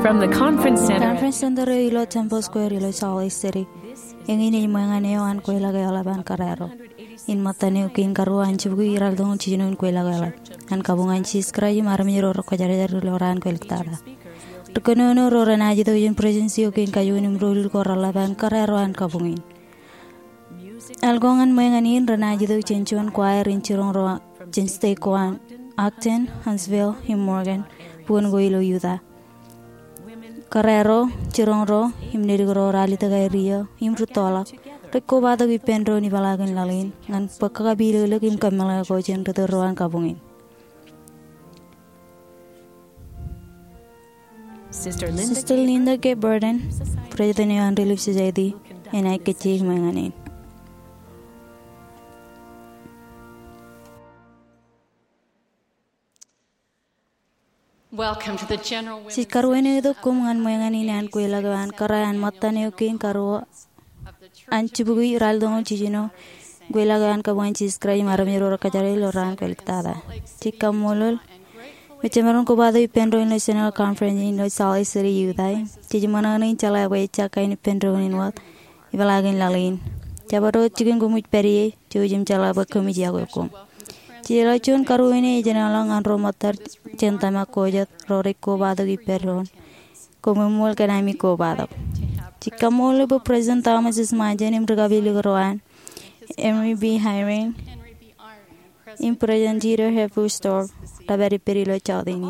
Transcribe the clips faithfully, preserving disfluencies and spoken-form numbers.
From the Conference Center. Conference Center eo ilo Temple Square ilo Salt Lake City. Eñin ej ṃōñā eo an kweilọk eḷap an kōrā ro. In ṃōttan eo kein karuo an jibukwi ralitōñoul jiljino in kweilọk eḷap an kabuñ an Jisōs Kraist im armej ro rekwōjarjar ilo raan kwōliktata. Ri kōnono ro renaaj itok jān Presidency eo kein kajuon im doulul ko reḷap an kōrā ro an kabuñ in. Alko ñan ṃōñā in renaaj itok jān juon choir in jiroñ ro jān state ko an Ogden, Huntsville, im Morgan, bukun ko ilo Utah. Kōrā ro, jiroñ ro, im ledik ro ralitōk aer iiō, im rūttoḷọk, rej kobatok ippān doon ipeḷaakin laḷ in, ñan bōk kakapilōklōk im kōmeḷeḷe ko jān ri tōl ro an kabuñ in. Sister Linda K. Burden, President eo an Relief Society, enaaj kajjitōk ṃōñā in. Welcome to the general women's. Jej karuwainwōt itok koṃ ñan ṃōñā in an kweilọk eo an kōrā an ṃōttan eo kein karuo an jibukwi ralitōñoul jiljino in kweilọk eo an kabuñ an Jisōs Kraist im armej ro rekwōjarjar ilo raan kwōliktata. Jej kaṃṃoolol bwe jemaroñ in kobatok ippān doon ilo General Conference in ilo Salt Lake City, Utah. Jej ṃōṇōṇō in jeḷā bwe ejja kain ippān doon in wōt ipeḷaakin laḷ in. Jabdewōt jikin koṃij pād ie, jouj im jeḷā bwe koṃij yokwe koṃ. Jejeḷā juon karuo in ej enaaj ḷọk ñan ro ṃōttad jān tōmak ko jet ro rej kobatok ippān doon. Koṃṃool kōn ami kobatok. Jej kaṃṃoolol bwe President Thomas S. Monson im ri kapilōk ro an, Henry B. Eyring, im President Dieter F. Uchtdorf, rej pād ippād ilo jota in.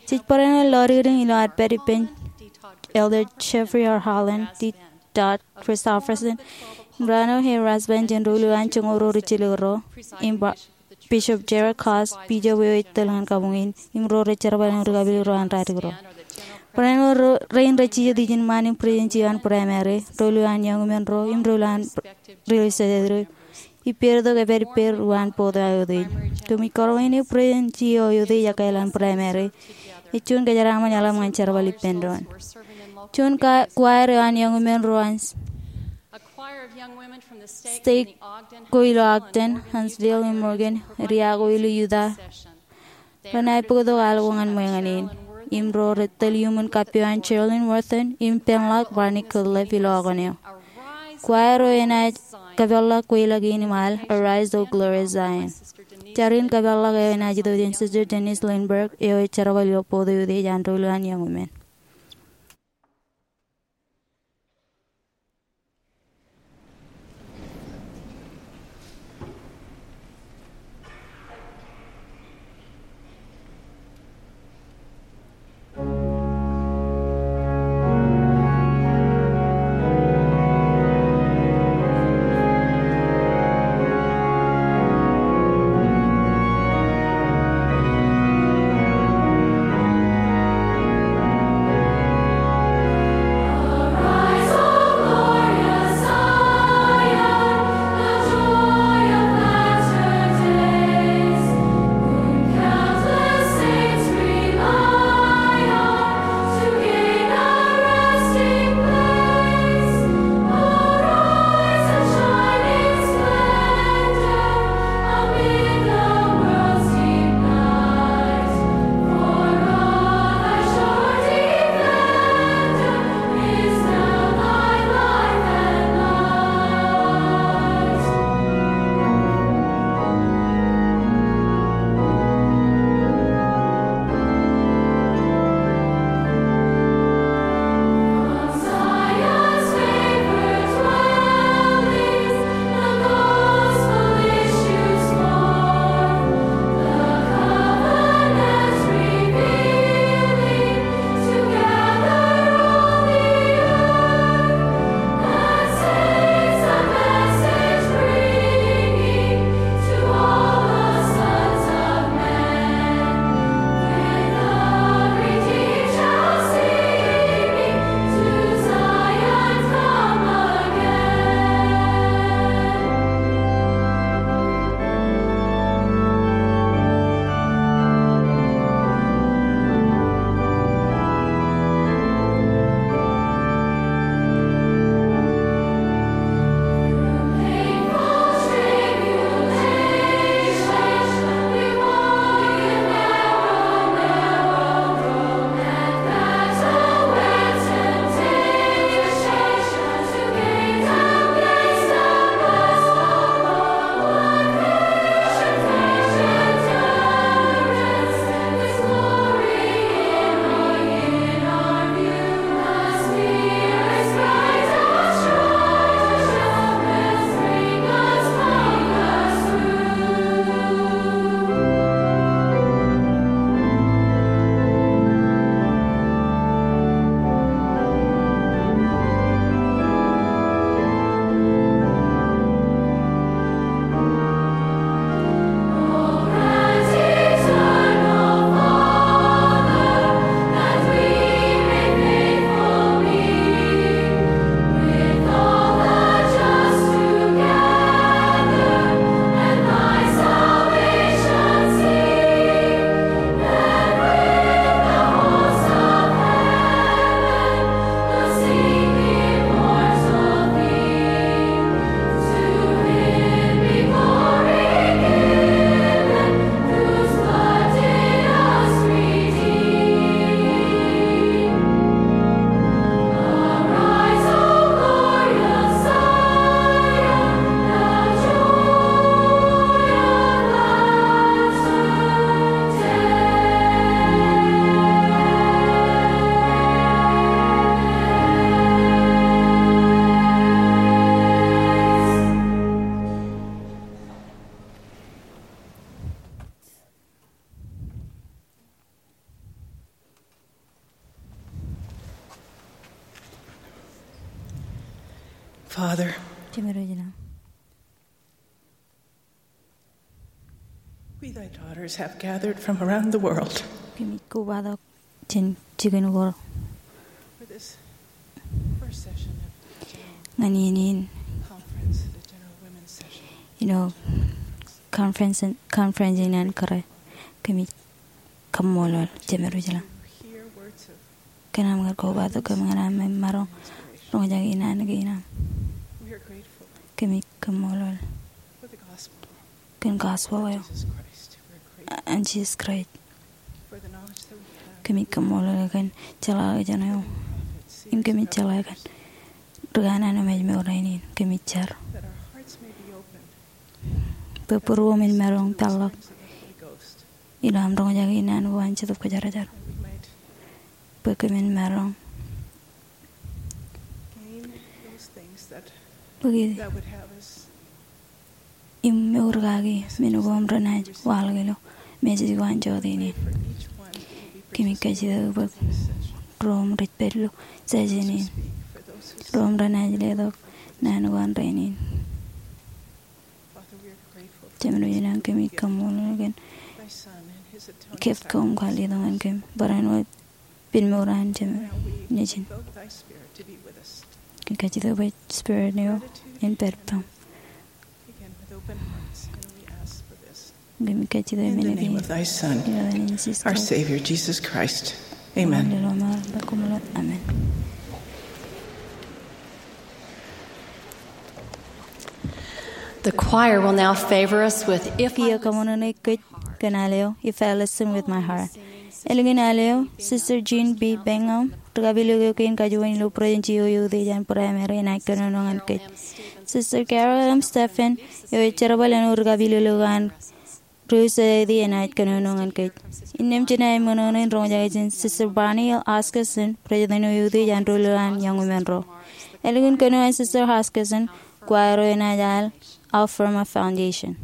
Jej barāinwōt lọdikdik ilo ad pād ippān Elder Jeffrey R. Holland, D. Todd Christofferson, im Ronald A. Rasband jān doulul an joñoul ro rijjelōk ro, im ba-, Bishop Jared Coss, Bishop eo ej tōl ñan kabuñ in, im ro rej jerbal im ri kapilōk ro an ralitōk ro. Barāinwōt ro rein rej jijet ijin ṃaan in Presidency eo an Primary, doulul an Young Women ro, im doulul an Relief Society ro, ippāertok epād ippāer uwaan board eo aō utiej. Koṃij kōrọọlḷọk bwe Presidency eo aō utiej ekkā ilo an Primary ej juon kōjeraaṃṃan eḷap ñan jerbal ippān doon. Juon ka-, choir eo an Young Women ro an state ko ilo Ogden, Huntsville, im Morgan, area ko ilo Utah, renaaj bōktok alko ñan ṃōñā in. Im ro rej tōl iuṃwin kappio an Geraldine Wharton im Penlock Barney Gottlieb ilo okōn eo. Choir eo enaaj kōpeḷḷọk kweilọk in im al Arise, O Glorious Zion. Jar in kōpeḷḷọk eo enaaj itok jān Sister Denise Lindberg, eo ej jerbal ilo board eo utiej an doulul an Young Women. Father, Jemedwōj ilañ. We, thy daughters, have gathered from around the world. Kōmij kobatok jān jikin ko. For this first session of the general Ñan iien in conference, the general women's session. Ilo conference, conference in an kōrā. Kōmij kaṃṃoolol, Jemedwōj ilañ. Hear words of Kōn aṃ kar kobatok kōm ñan aṃ maroñ roñjake in an kein aṃ. We are grateful Kōmij kaṃṃoolol for the gospel kōn gospel eo of Jesus Christ. We're grateful an Jisōs Kraist. For the knowledge that we have. Kōmij kaṃṃoolol kōn jeḷā eo jān eo. Prophets, seers, Im kōmij jeḷā kōn ri kanaan im ājmour rainin. Kōmij jar that our hearts may be opened. Bwe būruōm in maroñ peḷḷọk ilo aṃ roñjake in an ko an Jetōb Kwōjarjar. Bwe kōmin maroñ bōki im mour kaki men ko aṃ renaaj waḷọk ilo message ko an jota in. Kōmij kajjitōk bwe ro im rej pād ilo session in, ro im renaaj letok naan ko an rainin. Jemedwōj ilañ, kōmij kaṃṃoolol kōn gift ko aṃ kwaar letok ñan kōm barāinwōt pen mour an Jemem Nejin. Kōmij kajjitōk bwe Spirit eo en pād ippaṃ. Kōmij kajjitōk men eo ilo etan Jisōs Kraist. Amen. Amen. The choir will now favor us with If I Kiiō kaṃōṇōṇō kōj kōn al eo If I Listen With My Heart. Ālikin al eo, Sister Jean B. Bingham, ri kapilōk eo kein kajuon ilo Būrejen Jio eo Utiej an Primary, enaaj kōnono ñan kōj. Sister Carol M. Steffen, eo ej jerbal āinwōt ri kapilōk eo an Relief Society, enaaj kōnono ñan kōj. Innām jenaaj ṃōṇōṇō in roñjake jān Sister Bonnie L. Hoskison, President eo Utiej an Doulul an Young Women ro. Ālikin kōnono an Sister Hoskison, choir eo enaaj al Out from a Foundation.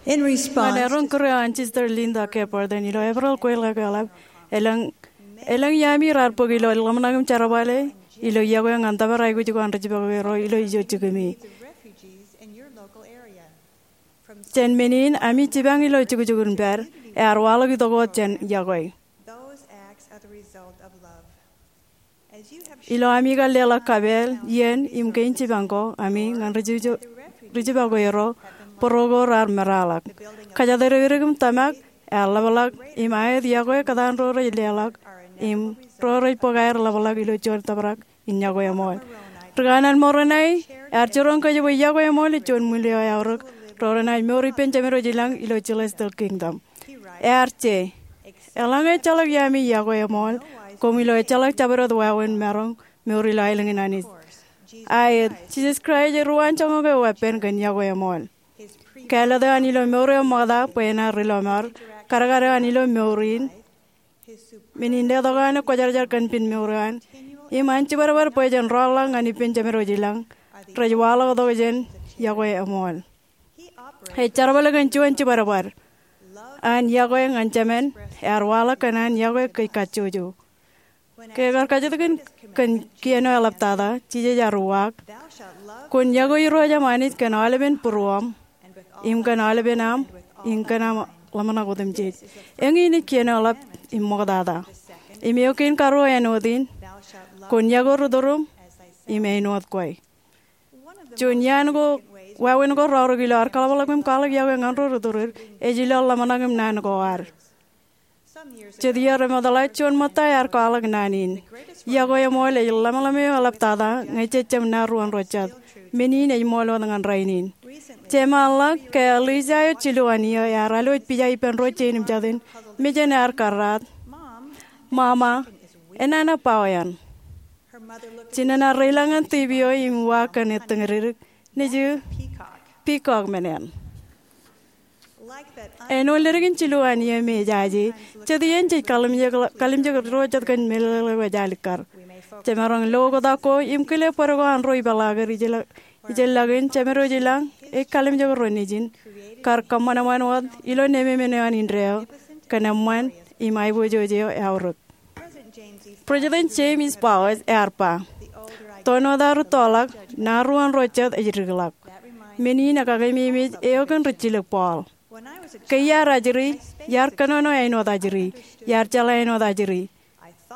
In response, ñan eroñ kūr eo an Sister Linda K. Burton ilo Eprel kweilọk eḷap, elōñ, elōñ iaami raar bōk ilo ḷōmṇak im jerbale ilo yokwe ñan tōpar aikuj ko an ri-jibakwe ro ilo ijo jikimi. Jān men in ami jipañ ilo jukjuk in pād, ear waḷọk itok wōt jān yokwe. Ilo ami kar leḷọk kapeel, iien, im kein jipañ ko ami ñan ri-jibakwe ro, bōro ko raar meraḷọk. Kōjatdikdik im tōmak ear ḷapḷọk, im aet yokwe kōtaan ro rej leḷọk im ro rej bōk aer ḷapḷọk ilo juon tōprak in yokwe eṃool. Ri kanaan Moronae ear jiroñ kōjepwe yokwe eṃool ej juon ṃwiin eo eaorōk ro renaaj mour ippān Jemedwōj ilañ ilo celestial kingdom. Ear je, eḷaññe ejjeḷọk iaami yokwe eṃool, koṃ ilo ejjeḷọk jabdewōt wāween maroñ mour ilo aelōñ in Anij. Aet, Jisōs Kraist eruwaan joñak eo weeppān kōn yokwe eṃool. Kāālōt eo an ilo mour eo ṃokta bwe enaaj ri-lọmọọr, kadkad eo an ilo mour in, men in letok eo an kwōjarjar kōn pen mour eo an, im an jibadbad bwe jen rọọlḷọk ñan ippān Jemedwōj ilañ, rej waḷọk tok jān yokwe eṃool. Ej jerbal kōn juon jibadbad. An yokwe ñan Jemān ear waḷọk kōn an yokwe kōj kajjojo. Ke ekar kajjitōk kōn kien eo eḷaptata, Jisōs ear uwaak, kwōn yokwe Irooj aṃ Anij kōn aolepen būruōṃ, im kōn aolepen aṃ, im kōn aṃ ḷōmṇak otemjej. Eñin ej kien eo eḷap im ṃoktata. Im eo kein karuo āinwōt in, kwōn yokwe ri-tūrūṃ im āinwōt kwe. Juon iaan ko, wāween ko raorōk ilo ad kaḷapḷọk im kwaḷọk yokwe ñan ro ri-tūried, ej ilo ḷōmṇak im naan ko ad. Jet iiō remootḷọk juon ṃōtta ear kwaḷọk naan in. Yokwe eṃool ej ḷōmṇak eo eḷaptata ñe jej jab naan ruon ro jet. Men in ej ṃool wōt ñan rainin. Jemānḷọk ke Elisa eo jilu an iiō ear alwōj pija ippān ro jein im jatin, mejān ear karraat, "Mama, enana bao eṇ?" Jinen ear reilañ ñan tibi eo im uwaak kōn ettōñdedik, nejū, "Peacock men eṇ." Āinwōt ledik in jilu an iiō me ejaje, jet iien jej kalimjek ro jet kōn meḷeḷe eo ej alikkar. Jemaroñ lo oktak ko im kile bōd ko an ro ipeḷaaked ijellọkin Jemedwōj ilañ ej kalimjek ro nejin, kar kōṃṃanṃan wōt ilo nemāmein eo an indeeo kōn eṃṃan im aiboojoj eo eaorōk. President James Bowes ear ba, "Tōn wōt aō rūttoḷọk, naan ruon ro jet ej dikḷọk." Men in ekakememej eo kōn rijjilōk Paul. Ke iar ajri, iar kōnono āinwōt ajri, iar jeḷā āinwōt ajri,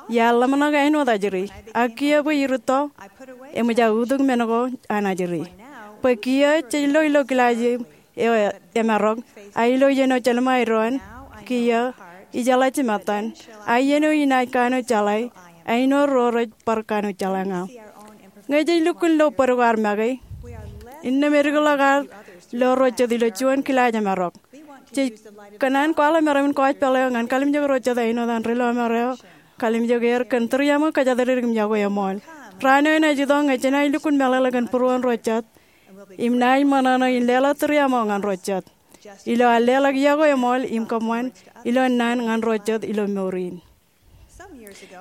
iar ḷōmṇak āinwōt ajri, ak kiiō bwe irūtto, eṃōj aō utuk men ko an ajri. Bwe kiiō jej lo ilo kilaaj eo emarok, ak ilo iien eo jelṃae doon, kiiō, ijeḷā jimattan, ak iien eo inaaj kanooj jeḷā, āinwōt ro rej bar kanooj jeḷā ña. Ñe jej lukkuun lo bōd ko ad make, innām edikḷọk ad lo ro jet ilo juon kilaaj emarok. Jej kōṇaan kwaḷọk meram in gospel eo ñan kalimjek ro jet āinwōt an ri-lọmọọr eo kalimjek er kōn tūriaṃo kōjatdikdik im yokwe eṃool. Raan eo enaaj itok ñe jenaaj lukkuun meḷeḷe kōn būruon ro jet im naaj ṃōṇōṇō in leḷọk tūriaṃo ñan ro jet. Ilo an leḷọk yokwe eṃool im kōṃṃan ilo naan ñan ro jet ilo mour in.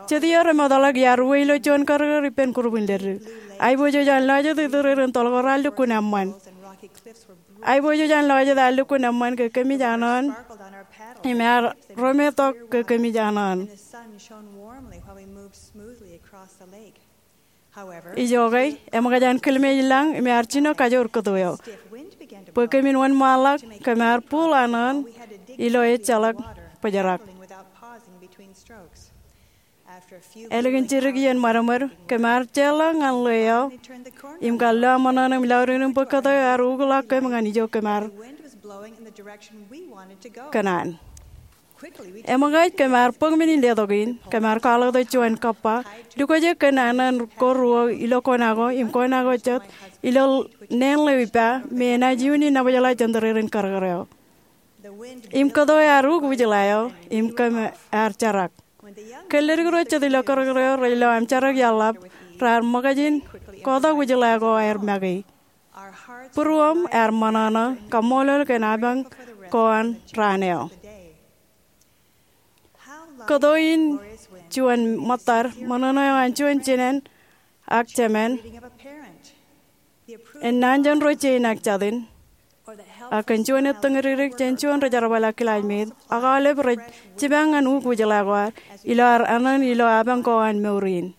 Jet iiō remootḷọk iar uwe ilo juon karōkrōk ippān group in leddik. Aiboojoj an lọjet ituried im toḷ ko raar lukkuun eṃṃan. Aiboojoj an lọjet ear lukkuun eṃṃan ke kōmij anọọn im ear rometok ke kōmij anọọn. Ijoke, eṃōkaj an kilmeej lañ im ear jino kajoor kōto eo. Bwe kōmin wōnṃaanḷọk, kōm ar bōl anọọn ilo ejjeḷọk bōjrak. Ālikin jidik iien ṃadṃōd, kōm ar jeorḷọk ñan ḷeo im kar lo aṃ ṃōṇōṇō im laudin im bwe kōto eo ear ukḷọk kōm ñan ijo kōm ar kōṇaan. Eṃōkaj kōm ar bōk men in letok in, kōm ar kwaḷọk tok juon kōppa, lukwōjek kōn anọọn ko ruo ilo kona ko im kona ko jet ilo neen ḷeo ippa me enaaj iuuni nabōjḷā jān tōrerein karōkrōk eo. Im kōto ear uk wūjḷā eo im kōm ar jerak. Ke ledik ro jet ilo karōkrōk eo rej lo aṃ jerak iaḷḷap, raar ṃōkaj in kotak wūjḷā ko aer make. Būruōṃ ear ṃōṇōṇō, kaṃṃoolol kōn apañ ko an raan eo. Kōto in juon ṃōttad, ṃōṇōṇō eo an juon jinen ak jemān, ennaan jān ro jein ak jatin, ak kōn juon ettōñ dik jān juon ri-jerbal ak kilajmāer, ak aolep rej jipañ ñan ukōt jeḷā ko ad ilo ad āinwōt ilo apañ ko an mour in.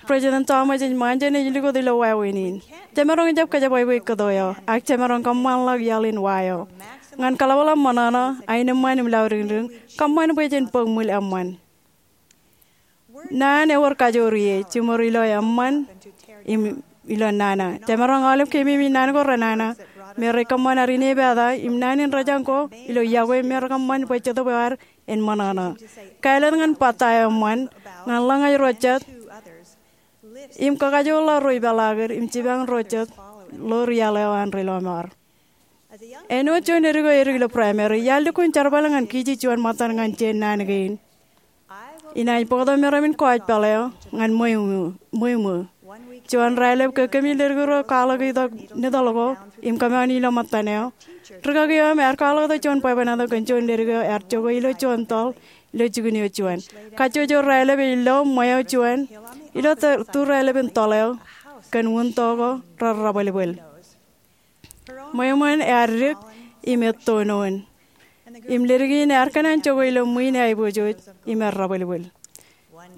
President Thomas S. Monson ej likūt ilo wāween in: Jemaroñ jab kōjepwābwe kōto eo, ak jemaroñ kōṃṃanḷọk iaḷ in wa eo. Ñan kaḷapḷọk ṃōṇōṇō, aenōṃṃan im laudikdik, kōṃṃan bwe jen bōk ṃwil eṃṃan. Naan ewōr kajoor ie, jiṃor ilo eṃṃan im ilo nana. Jemaroñ aolep keememej naan ko renana, me rej kōṃṃan ad inepata, im naan in rōjañ ko ilo yokwe me rekōṃṃan bwe Jetōb eo ad en ṃōṇōṇō. Kāālōt ñan bōtaab eṃṃan, ñan ḷōñaj ro jet, im kakajoorḷọk ro ipeḷaakid, im jipañ ro jet ḷoor iaḷ eo an ri-lọmọọr. Āinwōt juon edik eo edik ilo Primary, iar lukkuun jerbal ñan kiji juon ṃōttan ñan jān naan kein. Inaaj bōktok meram in kōjpeḷ eo ñan ṃweo, ṃweo. Juon raelep ke kōmij ledik ro kwaḷọk itok nitōḷ ko im kōmoon ilo ṃōttan eo, rikaki eo im ear kwaḷọktok juon bwebwenato kōn juon ledik eo ear jokwe ilo juon tōḷ ilo jikin eo juon. Kajjojo raelep ej lo ṃweo juon ilo tū raelep in tōḷ eo kōn wūnto ko rerrabwelbwel. Ṃweo ṃōn ear dik im ettoon, im ledik in ear kōṇaan jokwe ilo ṃwiin eaiboojoj im errabwelbwel.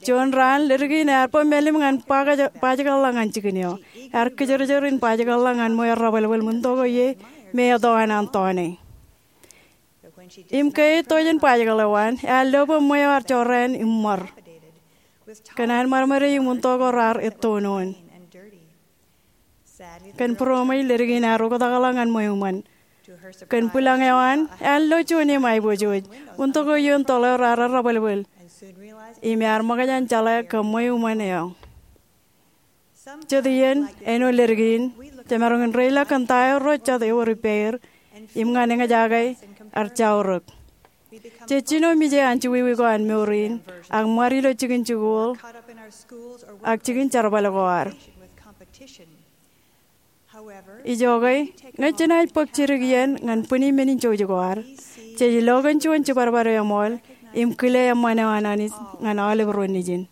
Juon raan, ledik in ear bōk mālim ñan bajjekḷọk ñan jikin eo. Ear kōjerajer in bajjekḷọk ñan ṃweo errabwelbwel wūnto ko ie me eto an an tọọne. Im ke ej to jān bajjekḷọk eo an, ear lo bwe ṃweo ear jorrāān im ṃor kōn an ṃadṃōde im wūnto ko raar ettoon. Kōn būroṃōj, ledik in ear oktakḷọk ñan ṃweo ṃōn. Kōn bwilōñ eo an, ear lo juon eṃ aiboojoj. Wūnto ko ioon tōḷ eo raar errabwelbwel, im ear ṃōkaj an jeḷā ke ṃweo ṃōn eo. Jet iien, āinwōt ledik in, jemaroñ in reilọk kōn ta eo ro jet ewōr ippāer, im ñan eñjake, ear jaurōk. Jej jino mije anjọwiwi ko an mour in, ak ṃad ilo jikin jikuuḷ ak jikin jerbal ko ad. Ijoke, ñe jenaaj bōk jidik iien ñan bwini men in jouj ko ad, jej lo kōn juon jibadbad eo eṃool im kile eṃṃan eo an Anij ñan aolep ro nejin.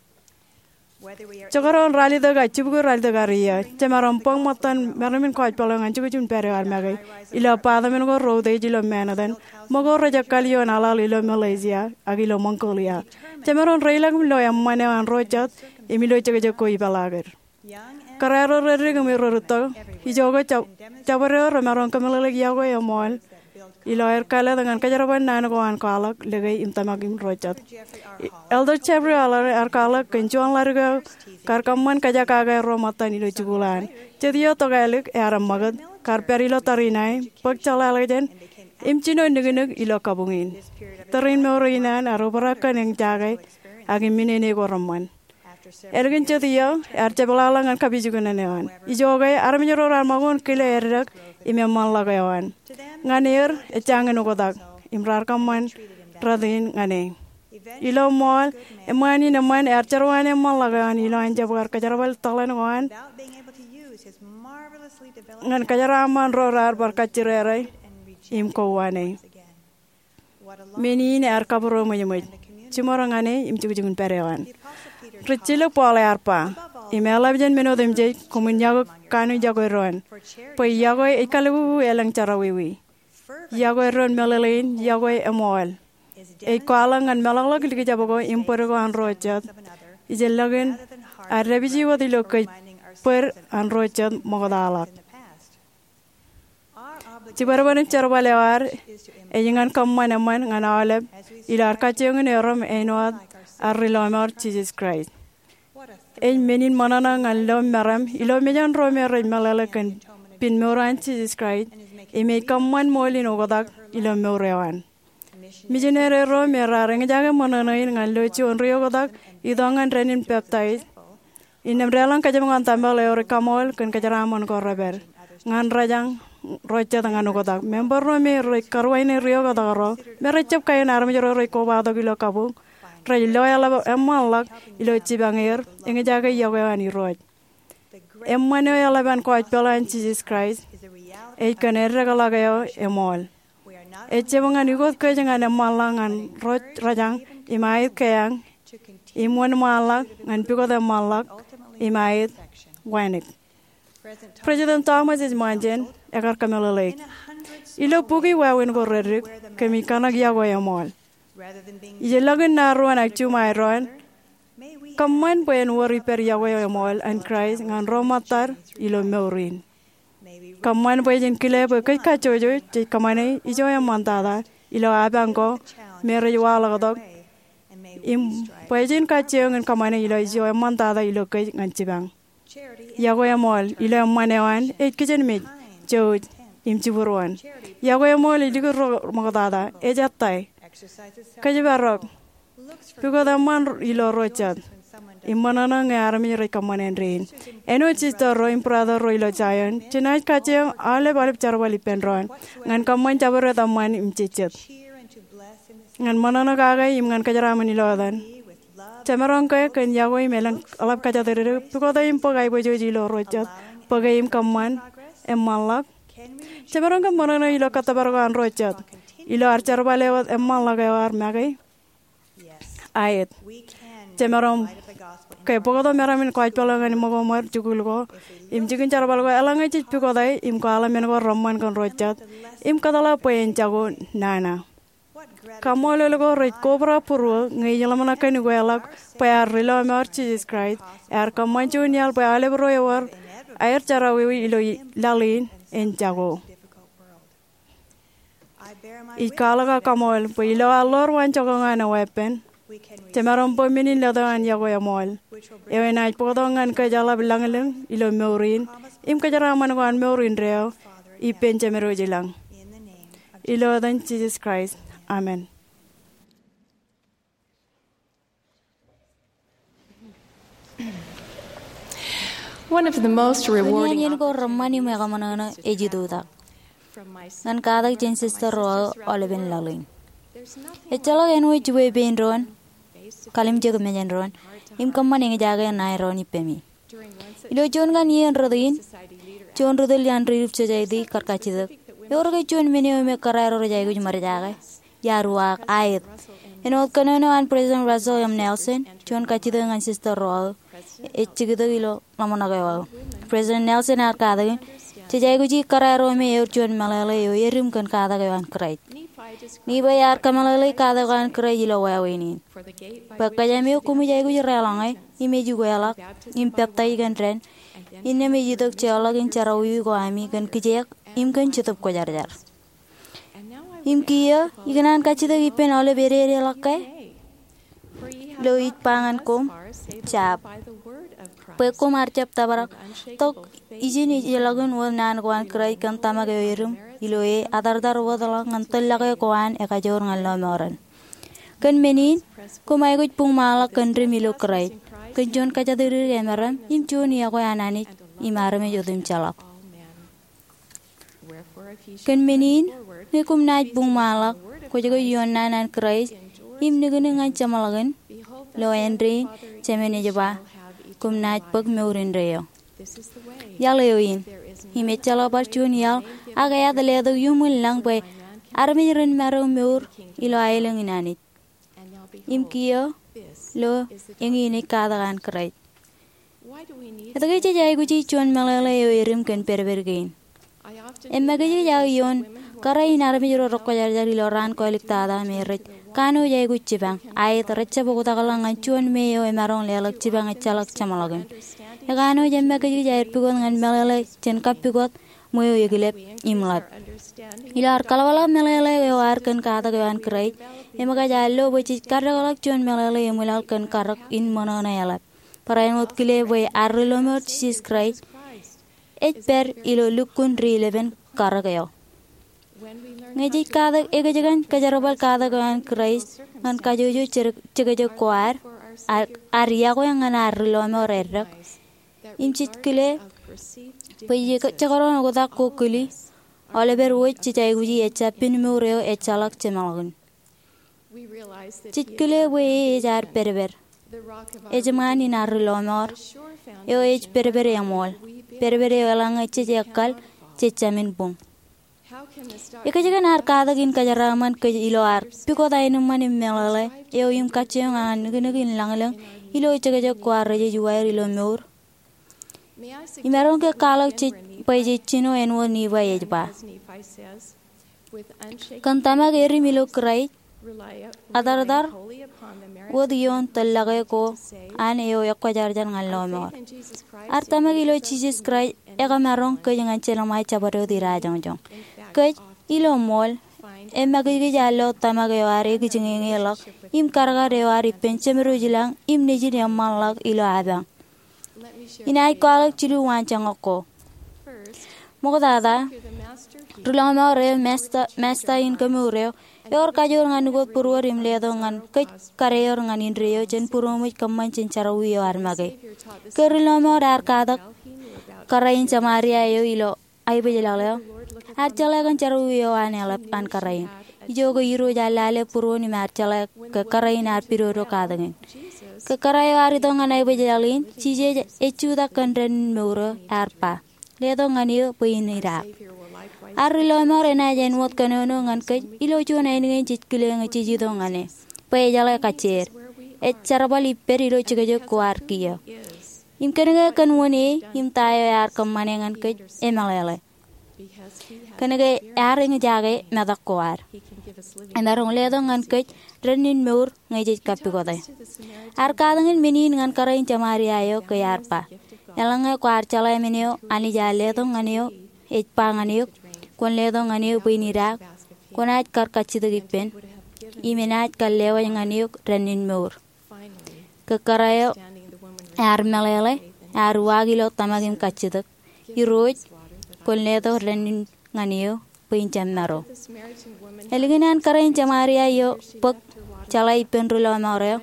Jekdọọn ralitōk ak jibukwi ralitōk ad iiō, jemaroñ bōk ṃōttan meram in kōjpeḷ eo ñan jukjuk in pād eo ad make, ilo apartment ko reutiej ilo Manhattan, ṃōko rej ekkal ioon aḷaḷ ilo Malaysia ak ilo Mongolia. Jemaroñ reilọk im lo eṃṃan eo an ro jet im ilo jekjek ko ipeḷaakid. Kōrā ro reddik im errūtto, ijoke jab-, jabdewōt eo remaroñ kōmeḷeḷeik yokwe eṃool ilo aer kāālōt ñan kōjerbal naan ko an kwaḷọk, lōke im tōmak im ro jet. Elder Jeffrey Holland ear kwaḷọk kōn juon ḷadik eo kar kōṃṃan kōjekake ro ṃōttan ilo jikuuḷ an. Jet iiō tokālik ear eṃṃakūt, kar pād ilo tariṇ ae, bōk jeḷāḷọkjeṇ, im jino niknik ilo kabuñ in. Tariṇ mour in an ear obrak kōn eñjake ak im minene ko reṃṃan. Ālikin jet iiō, ear jepḷaḷọk ñan kapijuknen eo an. Ijoke, armej ro raar ṃakūtkile eddek im eṃṃanḷọk eo an. Ñan er, ejjañin oktak, im raar kōṃṃan rot in ñan e. Ilo ṃool, eṃṃaan in eṃṃan ear jerwaan eṃṃanḷọk eo an ilo an jab kar kōjerbal tōḷan ko an ñan kōjeraaṃṃan ro raar bar kajjirere im kowaan e. Men in ear kabūroṃōjṃōj jiṃor ñan e im jukjuk in pād eo an. Rijjilōk Paul ear ba, im eḷap jān men otemjej, koṃwin yokwe kanooj yokwe doon, bwe yokwe ej kalbubu elōñ jerọwiwi. Yokwe doon meḷeḷein, yokwe eṃool. Ej kwaḷọk ñan meḷọkḷọk likjab ko im bōd ko an ro jet, ijellọkin ad dāpiji wōt ilo kōj bōd an ro jet ṃoktaḷọk. Jibadbad im jerbal eo ad ej ñan kōṃṃan eṃṃan ñan aolep ilo ad kajjioñ in erom āinwōt ad ri-lọmọọr Jisōs Kraist. Ej men in ṃōṇōṇō ñan lo meram ilo mejān ro me rej meḷeḷe kōn pen mour an Jisōs Kraist im ej kōṃṃan ṃool in oktak ilo mour eo an. Mijinere ro me raar eñjake ṃōṇōṇō in ñan lo juon ri-oktak itok ñan dān in peptaij, innām deḷọñ kōjepñoṇ tempel eo rej kaṃool kōn kōjeraaṃṃan ko repād ñan rōjañ ro jet ñan oktak. Member ro me rej karuwainene ri-oktak ro me rej jab kain armej ro rej kobatok ilo kabuñ rej lo eḷap eṃṃanḷọk ilo jipañ er eñjake yokwe eo an Irooj. Eṃṃan eo eḷap an kōjpeḷ an Jisōs Kraist ej kōn eddekḷọk eo eṃool. Ejjab ñan ukōt kōj ñan eṃṃanḷọk ñan ro rōjañ im aet keañ, im wōnṃaanḷọk ñan pukot eṃṃanḷọk im aet wānōk. President Thomas S. Monson ekar kōmeḷeḷeik. Ilo bukwi wāween ko reddik, kōmij kōṇak yokwe eṃool. Ijellọkin ṇa ruon ak juṃae doon, kōṃṃan bwe en wōr ippād yokwe eṃool an Kraist ñan ro ṃōttad ilo mour in. Kōṃṃan bwe jen kile bwe kōj kajjojo jej kōṃṃane ijo eṃṃantata ilo apañ ko me rej waḷọktok, im bwe jen kajjioñ in kōṃṃane ilo ijo eṃṃantata ilo kōj ñan jipañ. Yokwe eṃool ilo eṃṃan eo an ej kijenmej, jouj, im jibwiruon. Yokwe eṃool ej likūt ro ṃoktata, ej ettā, kōjparok, pukot eṃṃan ilo ro jet, im ṃōṇōṇō ñe armej rej kōṃṃane rein. Āinwōt sister ro im brother ro ilo Zion, jenaaj kajjioñ aolep aolep jerbal ippān doon ñan kōṃṃan jabdewōt eṃṃan im jejjet, ñan ṃōṇōṇō kake im ñan kōjeraaṃṃan ilo etan. Jemaroñ ke kōn yokwe im elōñ eḷap kōjatdikdik, pukot e im bōk aiboojoj ilo ro jet, bōke im kōṃṃan eṃṃanḷọk? Jemaroñ ke ṃōṇōṇō ilo kōttōpar ko an ro jet, ilo ad jerbal e wōt eṃṃanḷọk eo ad make? Aet. Jemaroñ ke bōktok meram in gospel eo ñan ṃōko ṃweo jikuuḷ ko im jikin jerbal ko eḷaññe jej pukot e im kwaḷọk men ko reṃṃan kōn ro jet im kōtḷọk bwe en jako nana. Kaṃṃoolol ko rej kobrak būruō ñe ij ḷōmṇak kōn ukeḷọk bwe ad ri lọmọọr Jisōs Kraist ear kōṃṃan juon iaḷ bwe aolep ro ewōr aer jerọwiwi ilo laḷ in en jako. Ij kwaḷọk aō kaṃool bwe ilo ad ḷoor waan jokwe ñan e weeppān, jemaroñ bōk men in letok an yokwe eṃool eo enaaj bōktok ñan kōj eḷap lañlōñ ilo mour in im kōjeraaṃṃan ko an mour indeeo ippān Jemedwōj ilañ. Ilo etan Jisōs Kraist, amen. One of the most rewarding iien ko reṃṃan im ekaṃōṇōṇō ej itutak ñan katak jān sister ro aō aolepen laḷ in. Ejjeḷọk āinwōt jibwe pein doon, kalimjek mejān doon, im kōṃṃan eñjake ṇae doon ippemi. Ilo juon kaṇ iien rot in, juon ri tōl iaan Relief Society kar kajjitōk, ewōr ke juon men eo me kōrā ro rej aikuj ṃōrjake? Iar uwaak, aet. Āinwōt kōnono an President Russell M. Nelson, juon kajjitōk ñan sister ro aō ej jikitok ilo ḷōmṇak eo aō. President Nelson ear katakin, jej aikuji kōrā ro me ewōr juon meḷeḷe eo erim kōn katak eo an Kraist. Nephi ear kōmeḷeḷe katak eo an Kraist ilo wāween in. Bwe kōjām eo koṃij aikuj deḷọñe, im ej ukeḷọk, im peptaij kōn dān, innām ej itok jeorḷọk in jerọwiwi ko ami kōn kijeek, im kōn Jetōb Kwōjarjar. Im kiiō, ikōṇaan kajjitōk ippān aolep ededeḷọk ke ilo ij ba ñan koṃ, jab. Bwe koṃ ar jab tōprak, tok ijin ej ilọk in wōt naan ko an Kraist kōn tōmak eo erim, ilo e atartar wōtḷọk ñan tōllọke ko an ekajoor ñan lọmọọren. Kōn men in, koṃ aikuj buñmaanḷọk kōn dim ilo Kraist, kōn juon kōjatdikdik emaroñ, im juon iọkwe an Anij, im armej otemjeḷọk. Kōn men in, ñe koṃ naaj buñmaanḷọk, kwōj ke ioon naan an Kraist, im niknik ñan jeṃḷọkin, lo āindein, Jemān ej ba, koṃ naaj bōk mour indeeo. Iaḷ eo in, im ejjeḷọk bar juon iaḷ, ak eat letok iuṃwin lañ bwe armej ren maro mour ilo aelōñ in Anij. Im kiiō, lo eñin ej katak an Kraist. Etke jej aikuji juon meḷeḷe eo erim kōn pedped kein? Im make jej aō ioon kōrā in armej ro rekwōjarjar ilo raan kōliktata me rej kanooj aikuj jipañ, aet, rej jab oktakḷọk ñan juon me eo emaroñ leḷọk jipañ ejjeḷọk jeṃḷọkin. Ekanooj im make jej aer pukot ñan meḷeḷe jān kappukot ṃweo ekilep im ḷap. Ilo ad kaḷapḷọk meḷeḷe eo ad kōn katak eo an Kraist, im kōj ar lo bwe jej kaddekḷọk juon meḷeḷe eṃwilaḷ kōn karōk in ṃōṇōṇō eḷap. Barāinwōt kile bwe ad ri lọmọọr Jisōs Kraist ej pād ilo lukkuun ri-ilepen karōk eo. Ñe jej katak ekōjkan kōjerbal katak eo an Kraist ñan kajojo jekjek ko ad, ad iọkwe ñan ad ri lọmọọr eddek, im jej kile bwe jekdọọn oktak ko kili, aolepād wōj jej aikuji ejjab pen mour eo ejjeḷọk jeṃḷọkin. Jej kile bwe e ej ad pedped, ejṃaan in ad ri lọmọọr, eo ej pedped eṃool, pedped eo eḷaññe jej ekkal, jej jāmin buñ. Ekōjkan ad katak in kōjeraaṃṃan kōj ilo ad pukot aenōṃṃan im meḷeḷe eo im kajjioñ ñan niknik in lañlōñ ilo jekjek ko ad rejej uwaer ilo mour? Im maroñ ke kwaḷọk jej bwe jej jino āinwōt Nifai ej ba. Kōn tōmak edim ilo Kraist, atartar wōt ioon tōllọke ko an eo ekwōjarjar ñan lọmọọr. Ad tōmak ilo Jisōs Kraist ekamaroñ kōj ñan jelṃae jabdewōt idajoñjoñ. Kōj, ilo ṃool, emakijkij ad lo tōmak eo ad ekijiñeñe ḷọk im kadkad eo ad ippān Jemedwōj ilañ im Nejin eṃṃanḷọk ilo apañ. Inaaj kwaḷọk jilu waanjoñak ko. Ṃoktata, ri lọmọọr eo, Masta, Masta in Kemour eo, ewōr kajoor ñan ukōt būruod im letok ñan kōj kadeor ñan indeeo jān būroṃōj kōṃṃan jān jerọwiwi eo ad make. Ke ri lọmọọr ear katak kōrā in Jamaria eo ilo aebōjḷọk eo, ear jeḷā kōn jerọwiwi eo an eḷap an kōrā in. Ijoke Irooj ear lale būruon im ear jeḷā ke kōrā in ear pidodo katakin. Ke kōrā eo ear itok ñan aebōjḷọk in, Jisōs ej jutak kōn dān in mour eo, ear ba, letok ñan eō bwe in idaak. Ad ri lọmọọr enaaj āinwōt kōnono ñan kōj ilo juon ainikien jej kile ñe jej itok ñan e, bwe ejeḷā kajjieer. Ej jerbal ippād ilo jekjek ko ad kiiō. Im kōnke kōn wōn e im ta eo ear kōṃṃane ñan kōj, emeḷeḷe. Kōnke ear eñjake metak ko ad. Emaroñ letok ñan kōj dān in mour ñe jej kappukot e. Ear katakin men in ñan kōrā in Jamaria eo ke ear ba, eḷaññe kwaar jeḷā men eo Anij ear letok ñan eok, ej ba ñan eok, kwōn letok ñan eō bwe in idaak, kwōnaaj kar kajjitōk ippān, im enaaj kar lewōj ñan eok dān in mour. Ke kōrā eo ear meḷeḷe, ear uwaak ilo tōmak im kajjitōk, Irooj, kwōn letok dān in ñan eō bwe in jab maro. Ālikin an kōrā in Jamaria eo bōk jeḷā ippān ri lọmọọr eo,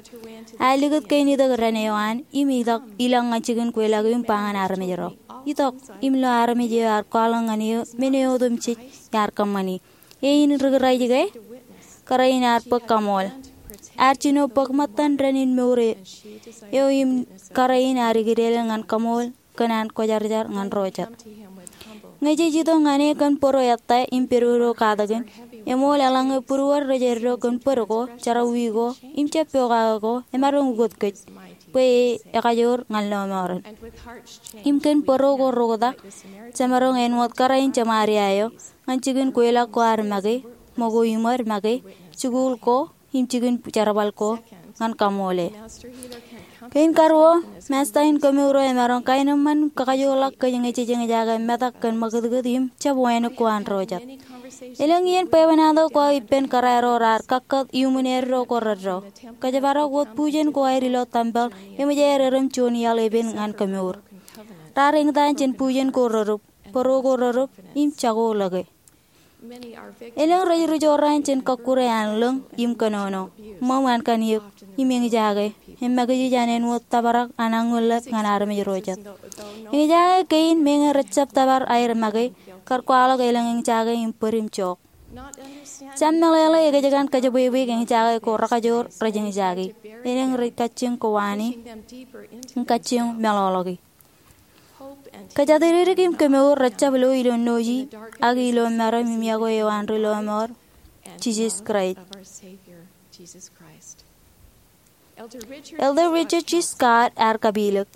ear likūt kein itok dān eo an im itok ilọk ñan jikin kweilọk im ba ñan armej ro, itok im lo armej eo ear kwaḷọk ñan eō men eo otemjej iar kōṃṃani. Eñin ri Kraist ke? Kōrā in ear bōk kaṃool. Ear jino bōk ṃōttan dān in mour eo im kōrā in ear ikideel ñan kaṃool kōn an kwōjarjar ñan ro jet. Ñe jej itok ñan e kōn bōro ettā im pedodo katakin, eṃool eḷaññe būruod rej eddo kōn bōd ko, jerọwiwi ko, im jab pokake ko, emaroñ ukōt kōj, bwe e ekajoor ñan lọmọọren. Im kōn bōro ko roktak, jemaroñ āinwōt kōrā in Jamaria eo, ñan jikin kweilọk ko ad make, ṃōko im ṃōd make, jikuuḷ ko, im jikin jerbal ko ñan kaṃool e. Kein karuo, Masta in Kemour eo emaroñ kaenōṃṃan kakajoorḷọk kōj ñe jej eñjake metak kōn ṃakūtkūt im jab wānōk ko an ro jet. Elōñ iien bwebwenato ko aō ippān kōrā ro raar kakkot iuṃwin eddo ko reddo. Kōjparok wōt bujen ko aer ilo tempel eṃōj aer erom juon iaḷ epen ñan kemour. Raar eñtaan jān bujen ko redūp, bōro ko redūp, im jako ḷọke. Elōñ rej ri jorrāān jān kọkkure an lōñ im kōnono, ṃōṃ an kanniōk, im eñjake, emakijkij an āinwōt tōprak an aññollep ñan armej ro jet. Eñjake kein meñe rejjab tōpar aer make, kar kwaḷọk elōñ eñjake im bōd im jook. Jab meḷeḷe ekjkan kōjepwebwe eñjake ko rekajoor rej eñjake. Elōñ rej kajjioñ kowaan e, im kajjioñ meḷọkḷọk e. Kōjatdikdik im kemour rejjab lo ilo noji, ak ilo meram im yokwe eo an ri lọmọọr, Jisōs Kraist. Elder Richard G. Scott ear kapilōk,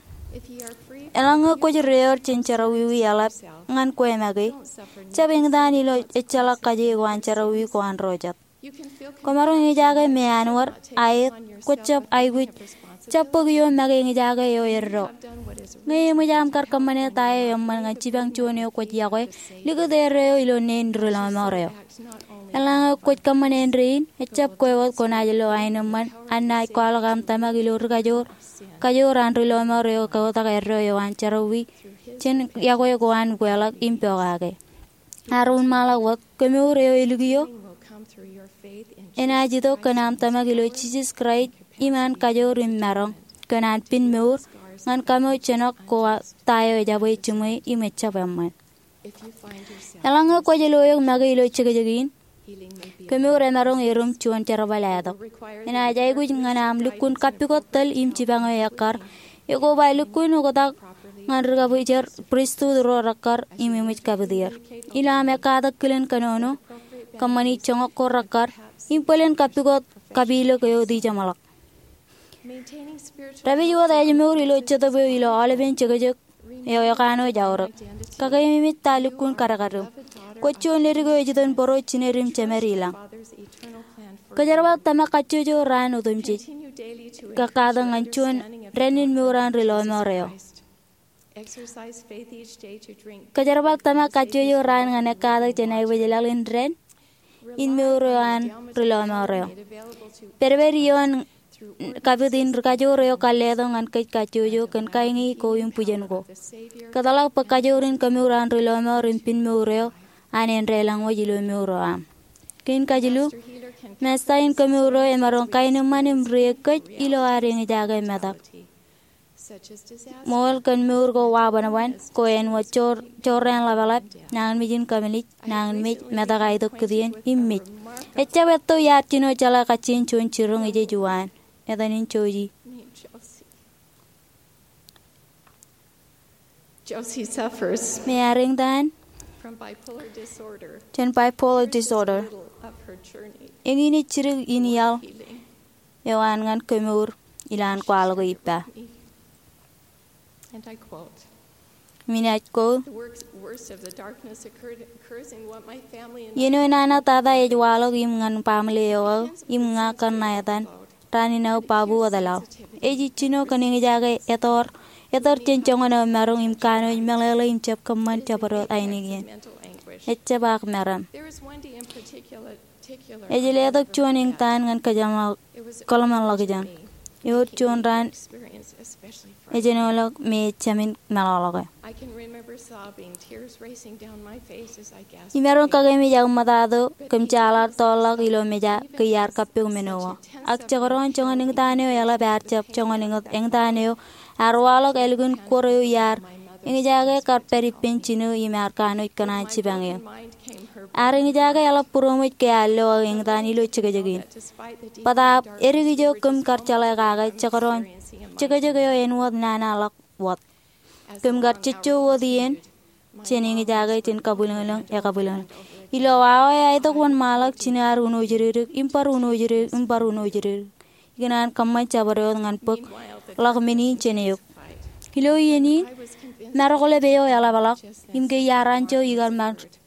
eḷaññe kwōj deor jān jerọwiwi eḷap ñan kwe make, jab eñtaan ilo ejjeḷọk kaje ko an jerọwiwi ko an ro jet. Kwōmaroñ eñjake meanwōd, aet, kwōjjab aikuj, jab bōk ioon make eñjake eo eddo. Ñe eṃōj aṃ kar kōṃṃane ta eo eṃṃan ñan jipañ juon eo kwōj yokwe, likūt eddo eo ilo neen ri lọmọọr eo. Eḷaññe kwōj kōṃṃan āindein, ejjab kwe wōt kwōnaaj lo aenōṃṃan an naaj kwaḷọk aṃ tōmak ilo ri kajoor, kajoor an ri lọmọọr eo kotak eddo eo an jerọwiwi, jān yokwe ko an ukeḷọk im pokake. Ear wōnṃaanḷọk wōt, kemour eo elikio enaaj itok kōn aṃ tōmak ilo Jisōs Kraist im an kajoor im maroñ, kōn an pin mour, ñan kaṃo jenọk ko ta eo ejabwe jiṃwe im ejjab eṃṃan. Eḷaññe kwōj lo eok make ilo jekjek in, kemour emaroñ erom juon jerbal ātok. Enaaj aikuj ñan aṃ lukkuun kappukot tōl im jipañ eo ekkar, ekoba lukkuun oktak ñan ri kabwijer pristut ro rekkar im eṃōj kapit er. Ilo aṃ ekkatak kilen kōnono, kōṃṃani joñak ko rekkar, im bōlen kappukot kapilōk eo ej jeṃḷọk. Dāpij wōt ājmour ilo Jetōb eo ilo aolepen jekjek eo ekanooj aorōk. Kakeememej ta lukkuun kadkadūṃ. Kwōj juon ledik eo ej itok bōro, jined im jemed i lañ. Kōjerbal tōmak kajjojo raan otemjej. Kōkkatak ñan juon dān in mour an ri lọmọọr eo. Kōjerbal tōmak kajjojo raan ñan ekkatak jān aibōj laḷ in dān in mour eo an ri lọmọọr eo. Pedped ioon kapit in ri kajoor eo kar letok ñan kōj kajjojo kōn kaiñi ko im bwijen ko. Kōtḷọk bwe kajoor in kemour an ri lọmọọr im pen mour eo an en deḷọñ wōj ilo mour eo aṃ. Kein kajilu, Masta in kemour eo emaroñ kaenōṃṃan im ri-eggej ilo ad eñjake metak. Ṃool kōn mour ko wabanban, ko āinwōt jorrāān ḷapḷap, nañinmej in kōmālij, nañinmej, metak aetok kitien, im mej. Ejjab etto iar jino jeḷā kajjien juon jiroñ ijej uwaan. Etan in Josie. Josie suffers Im ear eñtaan from bipolar disorder. Jān bipolar disorder. Eñin ej jidik in iaḷ eo an ñan kemour, ilaan kwaḷọk eo ippa. And I quote, im inaaj quote, "The worst, worst of the darkness occurred, occurs in what my family and I." Iien eo nana tata ej waḷọk im ñan baaṃle eo aō, im ña kōn ṇa etan, raan in aō babu wōt laḷ. Ej jino kōn eñjake etọr, etọr jān joñan eo maroñ im kanooj meḷeḷe im jab kōṃṃan jabdewōt ainikien. Ejjab ak meram. There is one day in particular Ej letok juon eñtaan ñan kōḷmānḷọkjeṇ. Ewōr juon raan ejenoḷọk me ejāmin meḷọkḷọke. Imaroñ kakememej aō ṃōttan kōm jaḷaḷ tọọrḷọk ilo meja ke iar kappok men eo. Ak jekdọọn joñan eñtaan eo eḷap ear jab joñan eñtaan eo ear waḷọk ālikin kor eo iar eñjake kar pād ippān jino im ear kanooj kōṇaan jipañ eō. Ear eñjake eḷap būroṃōj ke ear lo aō eñtaan ilo jekjek in. Bōtaab edik ijo kōm kar jeḷā kake jekdọọn jekjek eo āinwōt nana ḷọk wōt. Kōm kar jejjo wōt iien jān eñjake jān kabwilōñlōñ ekabwilōñlōñ. Ilo awa eo aetok wōnṃaanḷọk jino ear unooj dikdik im bar unooj dikdik im bar unooj dikdik. Ikōṇaan kōṃṃan jabdewōt ñan bōk ḷọk men in jān eok. Ilo iien in, marokḷep eo eḷapḷọk, im ke iar anjọ ikar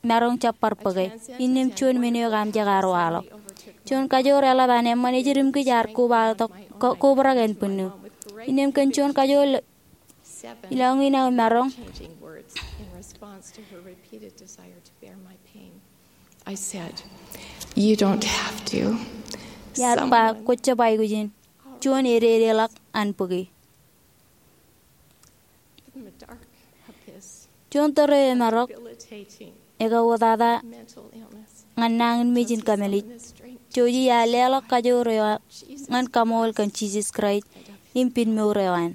maroñ jab bar bōke, innām juon men eo kaamijak ear waḷọk. Juon kajoor eḷap an eṃṃan ejid im kōj ear kobaḷọk, ko-, kobrak ānbwinnū. Innām kōn juon kajoor ilọk in aō maroñ. I said, "You don't have to." Iar ba, kwōj jab aikuj in. Juon ededeḷọk an bōke. Juon tōre emaroñ ekauwōtata ñan nañinmej in kōmālij. Josie ear leḷọk kajoor eo ñan kaṃool kōn Jisōs Kraist im pen mour eo an.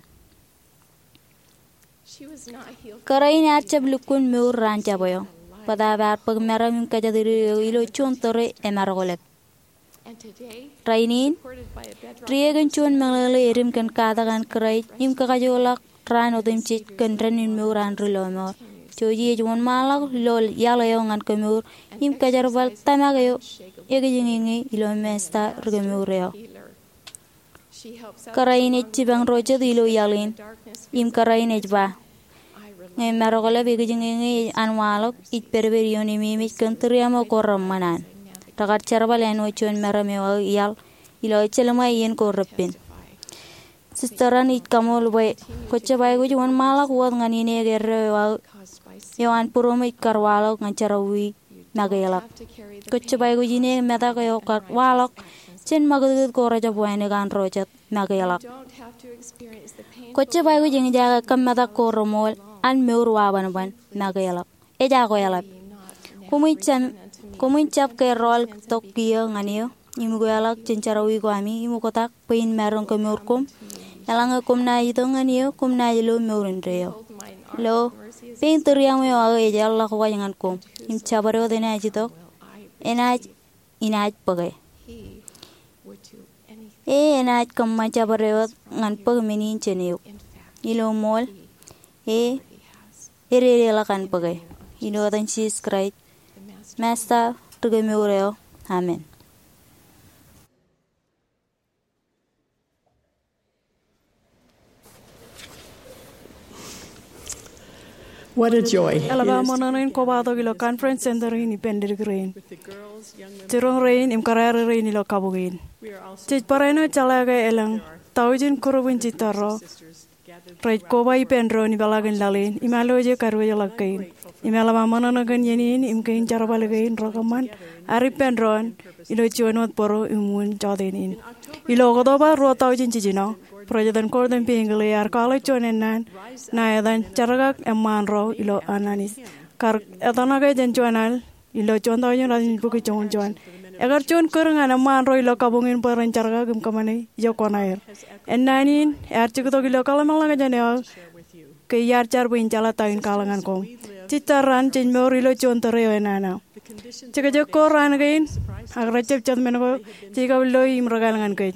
Kōrā in ear jab lukkuun mour raan jab eo. Bōtaab ear bōk meram im kōjatdikdik eo ilo juon tōre emaroñ lōb. Rainin, ri-ekin juon meḷeḷe edim kōn katak an Kraist im kakajoorḷọk raan otemjej kōn dān in mour an ri lọmọọr. Josie ej wōnṃaanḷọk ilo iaḷ eo ñan kemour im kōjerbal tōmak eo ekijeñeñe ilo Masta ri kemour eo. Kōrā in ej jipañ ro jet ilo iaḷ in, im kōrā in ej ba, ñe maroñ lōb ekijeñeñe an waḷọk, ij pedped ioon ememej kōn tūriaṃo ko reṃṃan an. Rekar jerbal āinwōt juon meram eo aō iaḷ ilo ejjeḷṃae iien ko repen. Sister in ij kaṃool bwe kwōj jab aikuj wōnṃaanḷọk wōt ñan ineek eddo eo aō eo an būroṃōj kar waḷọk ñan jerọwiwi make ḷọk. Kwōj jab aikuj ineek metak eo kar waḷọk jān ṃakūtkūt ko rejjab wānōk an ro jet make ḷọk. Kwōj jab aikuj eñjake kab metak ko reṃool an mour wabanban make ḷọk. Ejako eḷap. Koṃwin jab, koṃwin jab ke rọọl tok kiiō ñan eō im ukweḷọk jān jerọwiwi ko ami im oktak bwe in maroñ kemour koṃ. Eḷaññe koṃ naaj itok ñan eō, koṃ naaj lo mour indeeo. Lo, pein tūriaṃo eo aō ej eḷḷọk waj ñan koṃ, im jabdewōt enaaj itok, enaaj, inaaj bōke. E enaaj kōṃṃan jabdewōt ñan bōk men in jān eok. Ilo ṃool, e ededeḷọk an bōke. Ilo etan Jisōs Kraist, Masta ri kemour eo. Amen. What a joy. Eḷap aō ṃōṇōṇō in kobatok ilo Conference Center in ippān leddik rein, jiroñ rein im kōrā rein ilo kabuñ in. Jej barāinwōt jeḷā ke elōñ tọujin group in jitōl ro rej koba ippān doon ipeḷaakin laḷ in im alwōje kadiwōjḷọk kein. Im eḷap aō ṃōṇōṇō kōn iien in im kein jerbal kein rekōṃṃan ad ippān doon ilo juon wōt bōro im wūn jọteen in. Ilo Oktoba ruo tọujin jiljino, President Gordon B. Hinckley ear kwaḷọk juon ennaan ṇa etan Jerkak Eṃṃaan Ro ilo Ananis. Kar etōṇake jān juon al ilo juon tọujin ratimjuon bukwi joñoul juon. Ekar juon kūr ñan eṃṃaan ro ilo kabuñ in bwe ren jerkak im kōṃṃane ijo kuṇaer. Ennaan in ear jiktok ilo kaḷmānḷọkjeṇ eo ke iar jar bwe in jeḷā ta in kwaḷọk ñan koṃ. Jitōl raṇ jej mour ilo juon tōre eo enana. Jekjek ko raan kein ak rejjab jet men ko jej kab loi im rekāāl ñan kōj.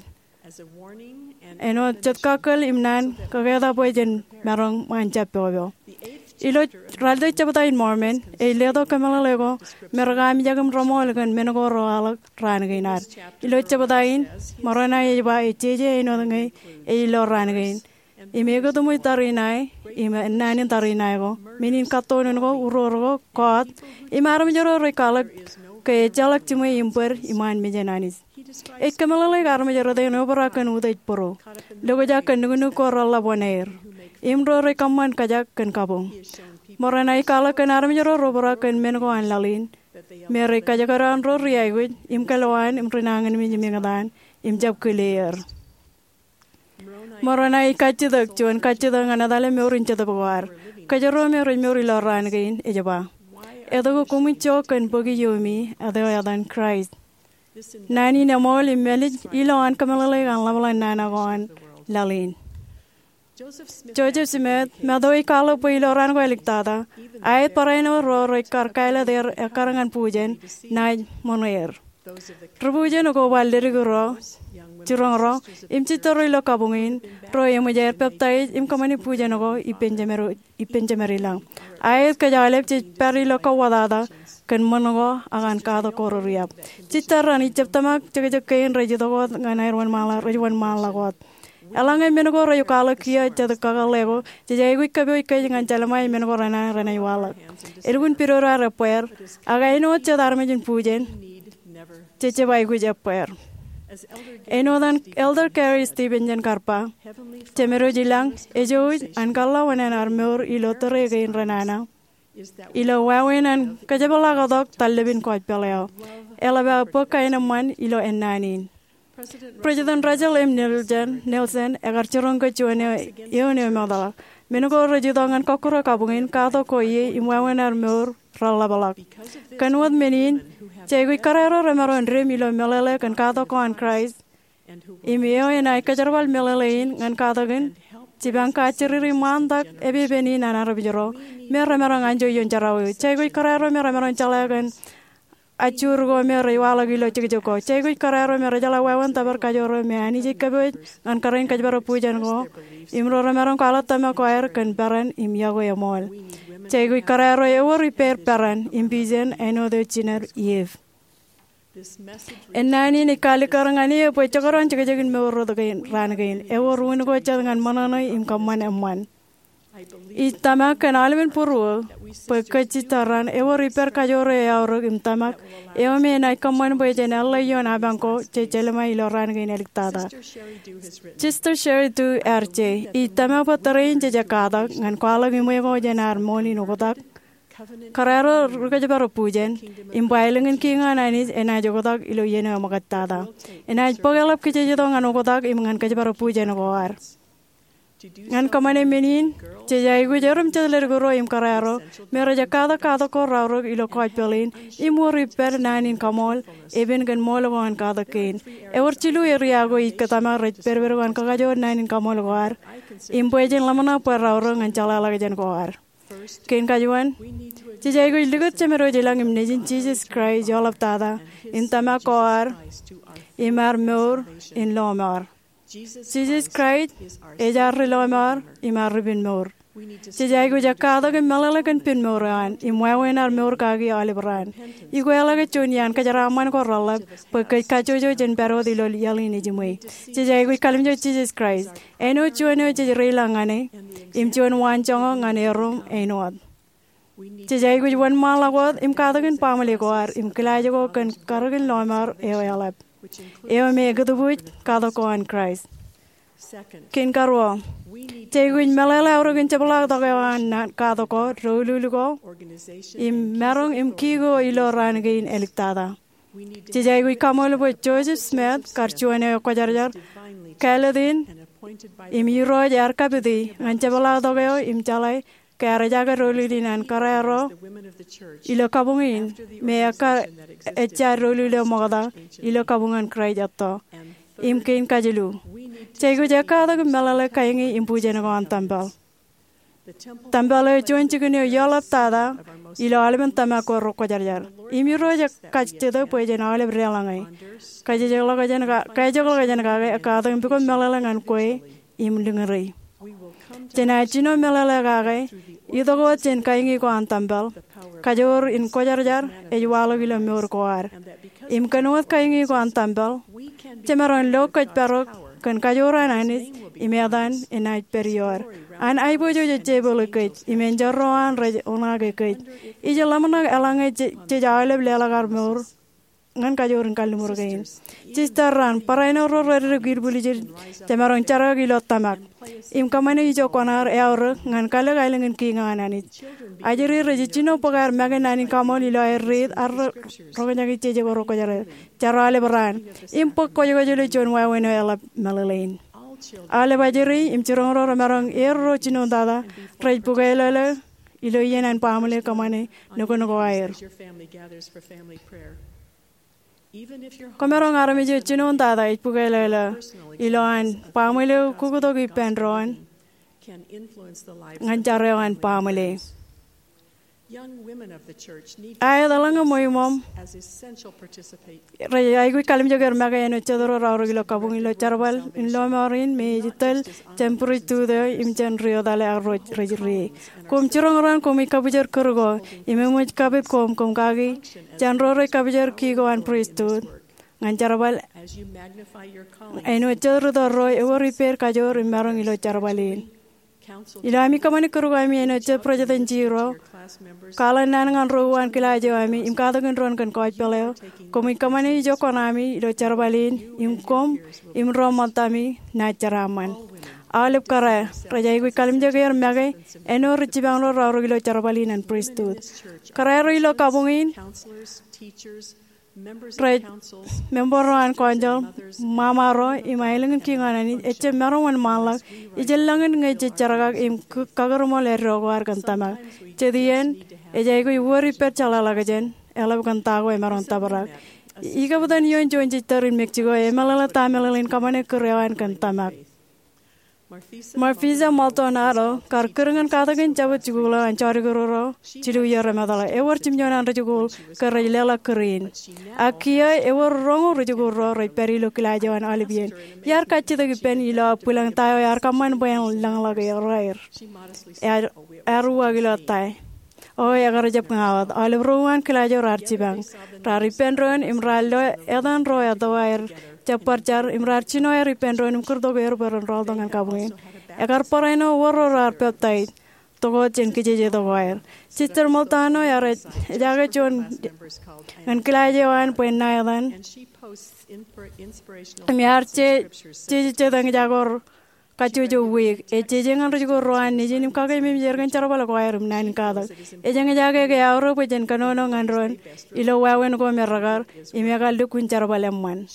Āinwōt jet kakkōl im naan kōketak bwe jen maroñ ṃaan jab pokpok. Ilo ralitōk jebta in Mormon, ej letok kōmeḷeḷe ko me rekaamijak im reṃool kōn men ko rewaḷọk raan kein ad. Ilo jebta in, Moronai ej ba ej jeje āinwōt ñe ej ilo raan kein. Im ekōtṃōj tariṇae, im ennaan in tariṇae ko, men in kattoon ko, uroor ko, kọọt, im armej ro rej kwaḷọk ke ejjeḷọk jiṃwe im bōd iṃaan mejān Anij. Ej kōmeḷeḷeik armej rot eṇ obrak kōn utiej būruo, lokjak kōn nuknuk ko reḷap wōṇāer, im ro rej kōṃṃan kōjak kōn kabuñ. Moronai ej kwaḷọk kōn armej ro rej obrak kōn men ko an laḷ in, me rej kajekdọọn ro ri aikuj im kōlwaan im ri nañinmej im eñtaan im jab kile er. Moronai ej kajjitōk juon kajjitōk ñan etale mour in jetōb ko ad. Kōjro me rej mour ilo raan kein, ej ba, etke koṃij jo kōn bōki iiōmi, eo etan Kraist? Naan in eṃool im mālij ilo an kōmeḷeḷeik an ḷapḷap nana ko an laḷ in. Joseph Smith, Matthew ej kwaḷọk bwe ilo raan ko āliktata, aet barāinwōt ro rej kar kāālōt er ekkar ñan bujen, naaj ṃōṇe er. Ri bujen ko bar leddik ro, jiroñ ro, im jitōl ro ilo kabuñ in, ro eṃōj aer peptaij im kōṃṃani bujen ko ippān jemed, ippān jemed ilañ. Aet kōj aolep jej pād ilo kauwōtata kōn ṃōṇ ko ak an katak ko rereab. Jitōl raṇ ijab tōmak jekjek kein rej itok wōt ñan aer wōnṃaanḷọk, rej wōnṃaanḷọk wōt. Eḷaññe men ko rej kwaḷọk kiiō jet kakōḷḷe ko, jej aikuj kōpooj kōj ñan jelṃae men ko renana renaaj waḷọk. Elukkuun pidodo ad ebbeer, ak āinwōt jet armej in bujen, jej jab aikuj ebbeer. Āinwōt an Elder Gary Stevenson kar ba, jemed eo ilañ ej jouj an kōḷḷā wōṇāān ad mour ilo tōre kein renana, ilo wāween an kōjepḷaaktok tarlepin kōjpeḷ eo. Eḷap aō bōk kaenōṃṃan ilo ennaan in. President Russell M. Nelson, Nelson ekar jiroñ ke juon eo, eoon eo emootḷọk. Men ko rej itok ñan kọkkure kabuñ in, katak ko ie im wāween ad mour reḷapḷọk. Kōn wōt men in, jej aikuj kōrā ro remaroñ dim ilo meḷeḷe kōn katak ko an Kraist, im eo enaaj kōjerbal meḷeḷe in ñan katak in, jipañ kajjiriri ṃaantak epepen in an armej ro me remaroñ anjọ ioon jerao eo. Jej aikuj kōrā ro me remaroñ jeḷā kōn ajjoor ko me rej waḷọk ilo jekjek ko. Jej aikuj kōrā ro me rejeḷā wāween tōpar kajoor eo me Anij ej kōpooj ñan kōrā in kōjparok bujen ko, im ro remaroñ kwaḷọk tōmak ko aer kōn peran im yokwe eṃool. Jej aikuj kōrā ro ewōr ippāer peran im pijen āinwōt eo jined Iv. Ennaan in ej kaalikkar ñan eō bwe jekdọọn jekjekin mour rot kein, raan kein, ewōr unin ko jet ñan ṃōṇōṇō im kōṃṃan eṃṃan. Ij tōmak kōn aolepen būruō bwe kōj jitōl raṇ ewōr ippād kajoor eo eaorōk im tōmak, eo me enaaj kōṃṃan bwe jen ālle ioon apañ ko jej jelṃae ilo raan kein āliktata. Sister Sheri Dew ear je, ij tōmak bwe tōre in jej katak ñan kwaḷọk iṃwe ko jān ad ṃool in oktak. Kōrā ro ri kōjparok bujen, im bwālōñ in kiiñ an Anij enaaj oktak ilo iien eo eṃōkajtata. Enaaj bōk eḷap kōj jej itok ñan oktak im ñan kōjparok bujen ko ad. Ñan kōṃṃane men in, jej aikuj erom jet leddik ro im kōrā ro me rej katak katak ko raorōk ilo kōjpeḷ in im wōr ippād naan in kaṃool, epen kōn ṃool ko an katak kein. Ewōr jilu eria ko ij tōmak rej pedped ko an kakajoor naan in kaṃool ko ad im bwe jen ḷōmṇak bwe raorōk ñan jeḷāḷọkjeṇ ko ad. Kein kajuon, jej aikuj likūt Jemed wōj ilañ im Nejin Jisōs Kraist eḷaptata in tōmak ko ad im ad mour in lọmọọr. Jisōs Kraist ej ad ri lọmọọr im ad ri pen mour. Jej aikuj katak im meḷeḷe kōn pen mour eo an im wāween ad mour kaki aolep raan. Ikweḷọk juon iaan kōjeraaṃṃan ko reḷap bwe kōj kajjojo jān pād wōt ilo iaḷ in ejiṃwe. Jej aikuj kalimjek Jisōs Kraist, āinwōt juon eo jej reilañ ñan e im juon waanjoñak ñan erom āinwōt. Jej aikuj wōnṃaanḷọk wōt im katakin baaṃle ko ad im kilaaj ko kōn karōkin lọmọọr eo eḷap, eo me ekūtbuuj katak ko an Kraist. Kein karuo, jej aikuj meḷeḷe aorōkin jepḷaaktok eo an katak ko, doulul ko, im maroñ im ki ko ilo raan kein āliktata. Jej aikuj kaṃool bwe Joseph Smith, kar juon eo ekwōjarjar, kāālōt in im Irooj ear kapiti ñan jepḷaaktok eo im jeḷā ke ear ejaake doulul in an kōrā ro ilo kabuñ in me ekkar ejja doulul eo ṃokta ilo kabuñ an Kraist etto. Im kein kajilu, jej aikuj ekkatak im meḷeḷe kainge im bujen ko an tempel. Tempel eo juon jikin eo eḷaptata ilo aolepen tōmak ko rekwōjarjar. Im Irooj ej kajjitōk bwe jen aolep deḷọñe. Kajjitōk ḷọk jān kake, kajjitōk ḷọk jān kake, ekkatak im pukot meḷeḷe ñan kwe im liñuri. Jenaaj jino meḷeḷe kake, itok wōt jān kainge ko an tempel, kajoor in kwōjarjar ej waḷọk ilo mour ko ad. Im kōn wōt kainge ko an tempel, jemaroñ lo kōjparok kōn kajoor an Anij im etan enaaj pād ioer. An aiboojoj ej jepeḷḷọk kōj im enjeḷ ro an rej oṇaake kōj. Ij ḷōmṇak eḷaññe jej aolep leḷọk ad mour ñan kajoor in kalliṃur kein. Sisters, barāinwōt ro rej dikdik bwiljin, jemaroñ jerkakḷọk ilo tōmak im kōṃṃane ijo kwaṇaar eaorōk ñan kalōk aelōñ in kiiñ an Anij. Ajri rej jino bōk aer make naan in kaṃool ilo aer riit, aer roñjake jeje ko rekwōjarjar, jar aolep raan, im bōk kwōjkwōj ilo juon wāween eo eḷap meḷeḷein. Aolep ajri im jiroñ ro remaroñ er ro jinoin tata rej bukwelọle ilo iien an baaṃle kōṃṃane nukun ko aer. Kwōmaroñ armej eo jinoin tata ej bukwelọle ilo an baaṃle eo kuktok ippān doon ñan jar eo an baaṃle. Aet, eḷaññe ṃweiṃōṃ rej aikuj kalimjek er make āinwōt jet ro raorōk ilo kabuñ ilo jerbal in lọmọọr in me ej tōl jān pristut eo im jān ri-etale ak ro rej ri. Koṃ jiroñ ro an koṃij kabwijer kūr ko im eṃōj kapit koṃ, koṃ kaki jān ro rej kabwijer ki ko an pristut ñan jerbal. Āinwōt jet rūtto ro, ewōr ippāer kajoor im maroñ ilo jerbal in. Ilo ami kōṃṃani kūr ko ami āinwōt jet presidency ro, kwaḷọk naan ñan ro uwaan kilaaj eo ami im katakin doon kōn gospel eo, koṃij kōṃṃane ijo kuṇaami ilo jerbal in, im koṃ im ro ṃōttami naaj jeraaṃṃan. Aolep kōrā rej aikuj kalimjek er make āinwōt ri jipañ ro raorōk ilo jerbal in an pristut. Kōrā ro ilo kabuñ in, rej, member ro an council, ṃaṃa ro, im aelōñ in kiiñ an Anij, ejjab maroñ wōnṃaanḷọk, ijellọkin ñe jej jerkak im kakūrṃool eddo ko ad kōn tōmak. Jet iien, ej aikuj wōr ippād jeḷāḷọkjeṇ, eḷap kōn ta ko emaroñ tōprak. Ikabwitan ioon juon sister in Mexico, emeḷeḷe ta meḷeḷein kōṃṃane kūr eo an kōn tōmak. Marfisa Maldonado, kar kūr ñan katakin Jabōt Jikuuḷ eo an Jọdikidu ro jilu iiō remootḷọk, ewōr jimjuon an rijikuuḷ ke rej leḷọk kūr in. Ak kiiō ewōr roñoul rijikuuḷ ro rej pād ilo kilaaj eo an aolep iien. Iar kajjitōk ippān ilo aō bwilōñ ta eo ear kōṃṃan bwe en lōñḷọk er aer. Ear, ear uwaak ilo ta. O, ekar jab ña wōt. Aolep ro uwaan kilaaj eo raar jipañ. Raar ippān doon im raar lo etan ro etto aer jab bar jar im raar jino aer ippān doon im kūrtok er bwe ren rọọltok ñan kabuñ in. Ekar barāinwōt wōr ro raar peptaij, tok wōt jān kijeje tok ko aer. Sister Maldonado ear ejaake juon ñan kilaaj eo an bwe en ṇa etan. Im ear je, jeje jet eñjake ko kajjojo wiik. Ej jeje ñan rijikuuḷ ro an Nejin im kakeememej er kōn jerbal ko aer im naan in katak. Ej eñjake ke eaorōk bwe jen kōnono ñan doon ilo wāween ko me rekar, im ekar lukkuun jerbal eṃṃan.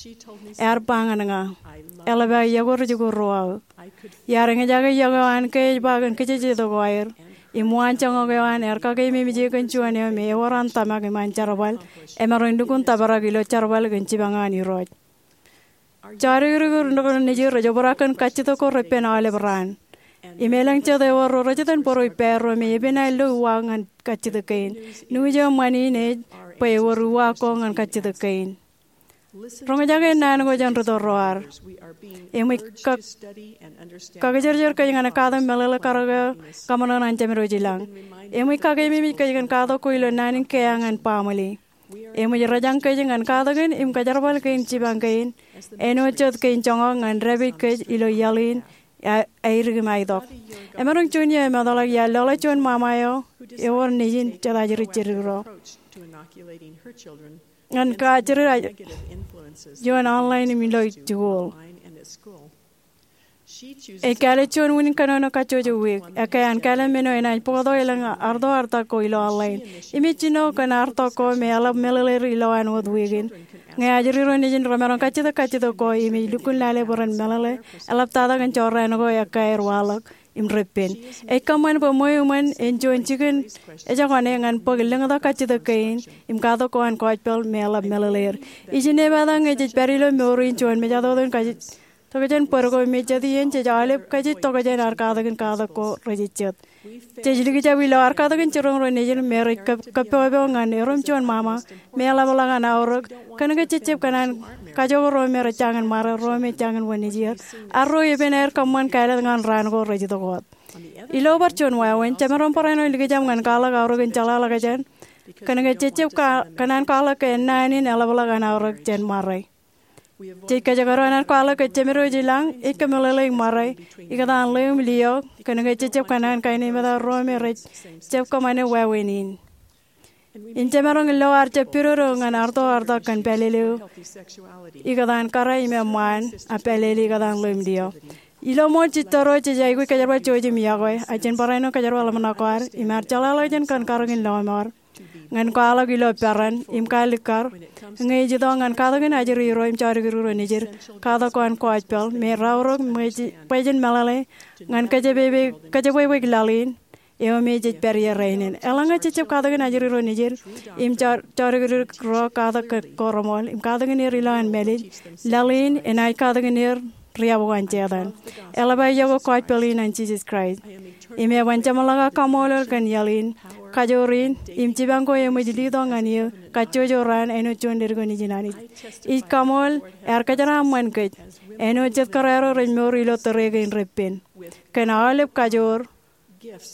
Ear ba ñan ña, eḷap aō iọkwe rijikuuḷ ro aō. Iar eñjake iọkwe eo an ke ej ba kōn kijeje tok ko aer im waan joñak eo an ear kakeememej e kōn juon eo me ewōr an tōmak im an jerbal, emaroñ lukkuun tōprak ilo jerbal kōn jipañ an Irooj. Jọdikdik ro nukun Nejin rej obrak kōn kajjitōk ko repen aolep raan. Im elōñ jet ewōr ro rej itōn bōro ippāerro me epen aer lo uwaak ñan kajjitōk kein. News eo ṃani in ej bwe ewōr uwaak ko ñan kajjitōk kein. Roñjake naan ko jān rūtto ro ad. Eṃōj kak, kakijerjer kōj ñan katak meḷeḷe karōk eo kōṃṃan an Jemedwōj i lañ. Eṃōj kakeememej kōj kōn katak ko ilo naan in keeañ an baaṃle. Eṃōj rōjañ kōj ñan katakin im kōjerbal kein jipañ kein, āinwōt jet kein joñak ñan dāpij kōj ilo iaḷ in, aer im aitok. Emaroñ juon iiō emetḷọk iar lọḷọk juon ṃaṃa eo ewōr nejin jet ajri jidik ro ñan kajri ioon online im ilo jikuuḷ. Ej kāālōt juon unin kōnono kajjojo wiik. Ekkā an kāālōt men eo enaaj bōktok elōñ artoartak ko ilo online. Im ej jino kōn artok ko me eḷap meḷeḷeir ilowaan wōt wiik in. Ñe ajri ro nejin remaroñ kajjitōk kajjitōk ko im ej lukkuun lale bwe ren meḷeḷe, eḷaptata kōn jorrāān ko ekkā aer waḷọk im reppen. Ej kōṃṃan bwe ṃweo iṃōn en juon jikin ejokane ñan bōk lōñtak kajjitōk kein im katak ko an gospel me eḷap meḷeḷeir. Ij inepata ñe jej pād ilo mour in juon mejatoto in kajjitōk tokjān bōd ko me jet iien jej aolep kajjitōk tokjān ad katakin katak ko rejejjet. Jej likjab ilo ad katakin jiroñ ro nejin me rej kōppopo ñan erom juon ṃaṃa me eḷapḷọk an aorōk, kōnke jejjab kōṇaan kajjojo ro me rej jañin ṃare, ro me jañin wōnṃaanḷọk, ak ro epen aer kōṃṃan kāālōt ñan raan ko rej itok wōt. Ilo bar juon wāween, jemaroñ barāinwōt likjab ñan kwaḷọk aorōk in jeḷāḷọkjeṇ, kōnke jejjab kōṇaan kwaḷọk ke ennaan in eḷapḷọk an aorōk jān ṃare. Jej kōjekdọọn an kwaḷọk ke Jemed eo Ej Ilañ ej kōmeḷeḷeik ṃare ikōtaan ḷeo im liō, kōnke jejjab kōṇaan kainmata ro me rej jab kōṃṃane wāween in. Im jemaroñ lo ad jab pidodo ñan artoartak kōn pālele eo ikōtaan kōrā im eṃṃaan, ak pālele ikōtaan ḷeo im liō. Ilo ṃool jitōro jej aikuj kōjerbal jouj im iọkwe, ak jen barāinwōt kōjerbal ḷōmṇak ko ad im ad jeḷāḷọkjeṇ kōn karōk in lọmọọr ñan kwaḷọk ilo peran im kaalikkar ñe ej itok ñan katakin ajri ro im jodikdik ro nejid, katak ko an gospel me raorōk bwe jen meḷeḷe ñan kōjebwebweik laḷ in eo me jej pād ie rainin. Eḷaññe jejjab katakin ajri ro nejid im jodikdik ro katak ko reṃool im katakin er ilowaan mālij, laḷ in enaaj katakin er riab ko an Setan. Eḷap aō iọkwe gospel in an Jisōs Kraist. Im eban jeṃḷọk aō kaṃṃoolol kōn iaḷ in, kajoor in, im jipañ ko eṃōj letok ñan eō kajjojo raan āinwōt juon ledik eo nejin Anij. Ij kaṃool ear kōjeraaṃṃan kōj āinwōt jet kōrā ro rej mour ilo tōre kein reppen kōn aolep kajoor,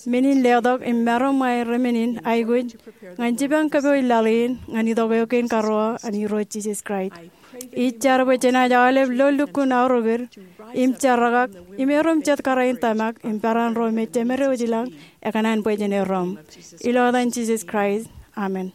men in letok im maroñ ṃae remen in aikuj ñan jipañ kōpooj laḷ in ñan itok eo kein karuo an Irooj Jisōs Kraist. Ij jar bwe jenaaj aolep lo lukkuun aorōk eo im jerkakak im erom jet kōrā in tōmak im peran ro me Jemed eo Ej Ilañ ekōṇaan bwe jen erom. Ilo etan Jisōs Kraist, amen.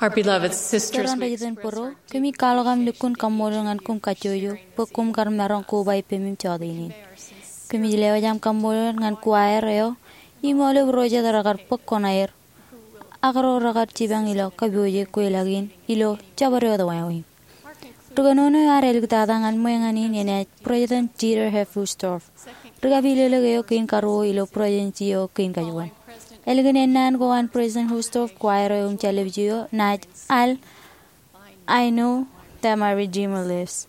Our beloved sisters, Jitōn ro, kōmij kwaḷọk aṃ lukkuun kaṃṃoolol ñan koṃ kajjojo bwe koṃ kar maroñ koba ippemi im jọteen in. Kōmij lewōj aṃ kaṃṃoolol ñan kuaer eo im aolep ro jet rekar bōk kuṇaer ak ro rekar jipañ ilo kōpooj kweilọk in ilo jabdewōt wāween. Ri kōnono eo ear āliktata ñan ṃool ñan in enaaj President Dieter F. Uchtdorf, ri kapilōklōk eo kein karuo ilo Presidency eo kein kajuon. Ālikin ennaan ko an President Uchtdorf, kuaer eo im jāllepje eo naaj al I Know That My Redeemer Lives.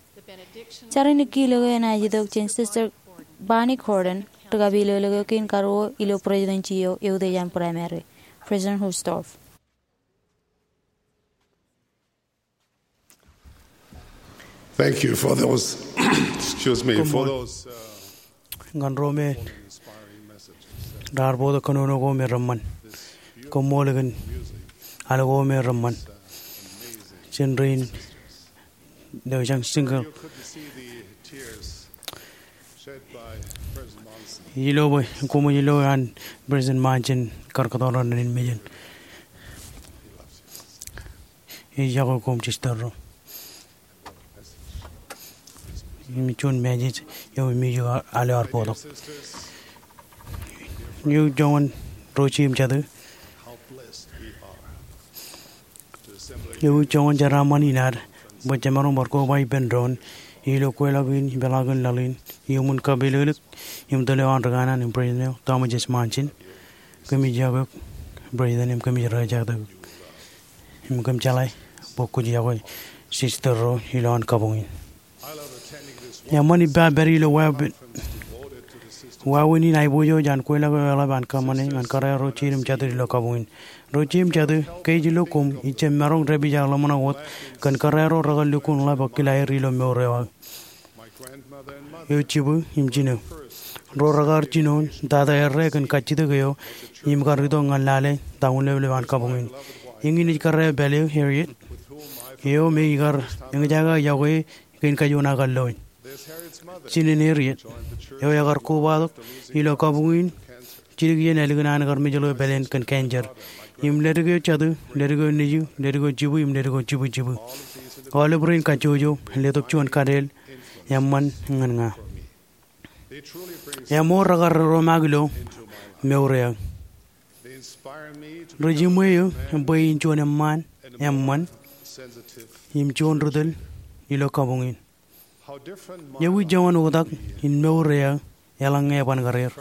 Jar in kiil eo enaaj itok jān Sister Bonnie Gordon, ri kapilōklōk eo kein karuo ilo Presidency eo eutiej an Primary, President Uchtdorf. Thank you for those, excuse me, for Koṃṃool. Those, uh, ñan ro me raar bōktok kōnono ko me reṃṃan. Koṃṃool kōn al ko me reṃṃan. Jen rein, ilo jañ single. Ilo bwe koṃij lo an President Monson kar kōttar rainin mejān. Ij yokwe koṃ, sister ro. Im juon message eo im ij al eo ear bōktok. Ewi joñan ro jeiū im jatū? Ewi joñan jeraaṃṃan in ad bwe jemaroñ bar koba ippān doon ilo kweilọk in ipeḷaakin laḷ in iuṃwin kapilōklōk im tōl eo an ri kanaan im President eo Thomas S. Monson? Kōmij yokwe eok, President, im kōmij rejektek eok. Im kōm jeḷā bwe kwōj yokwe sister ro ilowaan kabuñ in. Eṃṃan ippa pād ilo wāween in aiboojoj an kweilọk eo eḷap an kōṃṃane ñan kōrā ro jeiū im jatū ilo kabuñ in. Ro jeiū im jatū, ke ij lo koṃ, ij jab maroñ dāpij aō ḷōmṇak wōt kōn kōrā ro rekar lukkuun ḷap ak kile aer ilo mour eo aō. Eo jibū im jino, ro rekar jino tata errā kōn kajjitōk eo im kar itok ñan lale ta uñleplep an kabuñ in. Eñin ej kōrā eo pād eo, Harriet, eo me ikar eñjake aō yokwe kein kajuon aō kar lo in. Jinen Harriet eo ekar kobatok ilo kabuñ in jidik iien ālikin an kar mejeḷ eo pāleen kōn cancer. Im ledik eo jatū, ledik eo nejū, ledik eo jibū, im ledik eo jibū jibū. Aolep rein kajjojo letok juon kadeel eṃṃan ñan ña. Eṃool rekar romaak ilo mour eo aō. Rej iṃwe eō bwe in juon eṃṃaan, eṃṃan, im juon ri tōl ilo kabuñ in. Ewi joñan oktak in mour eo aō eḷaññe eban karier?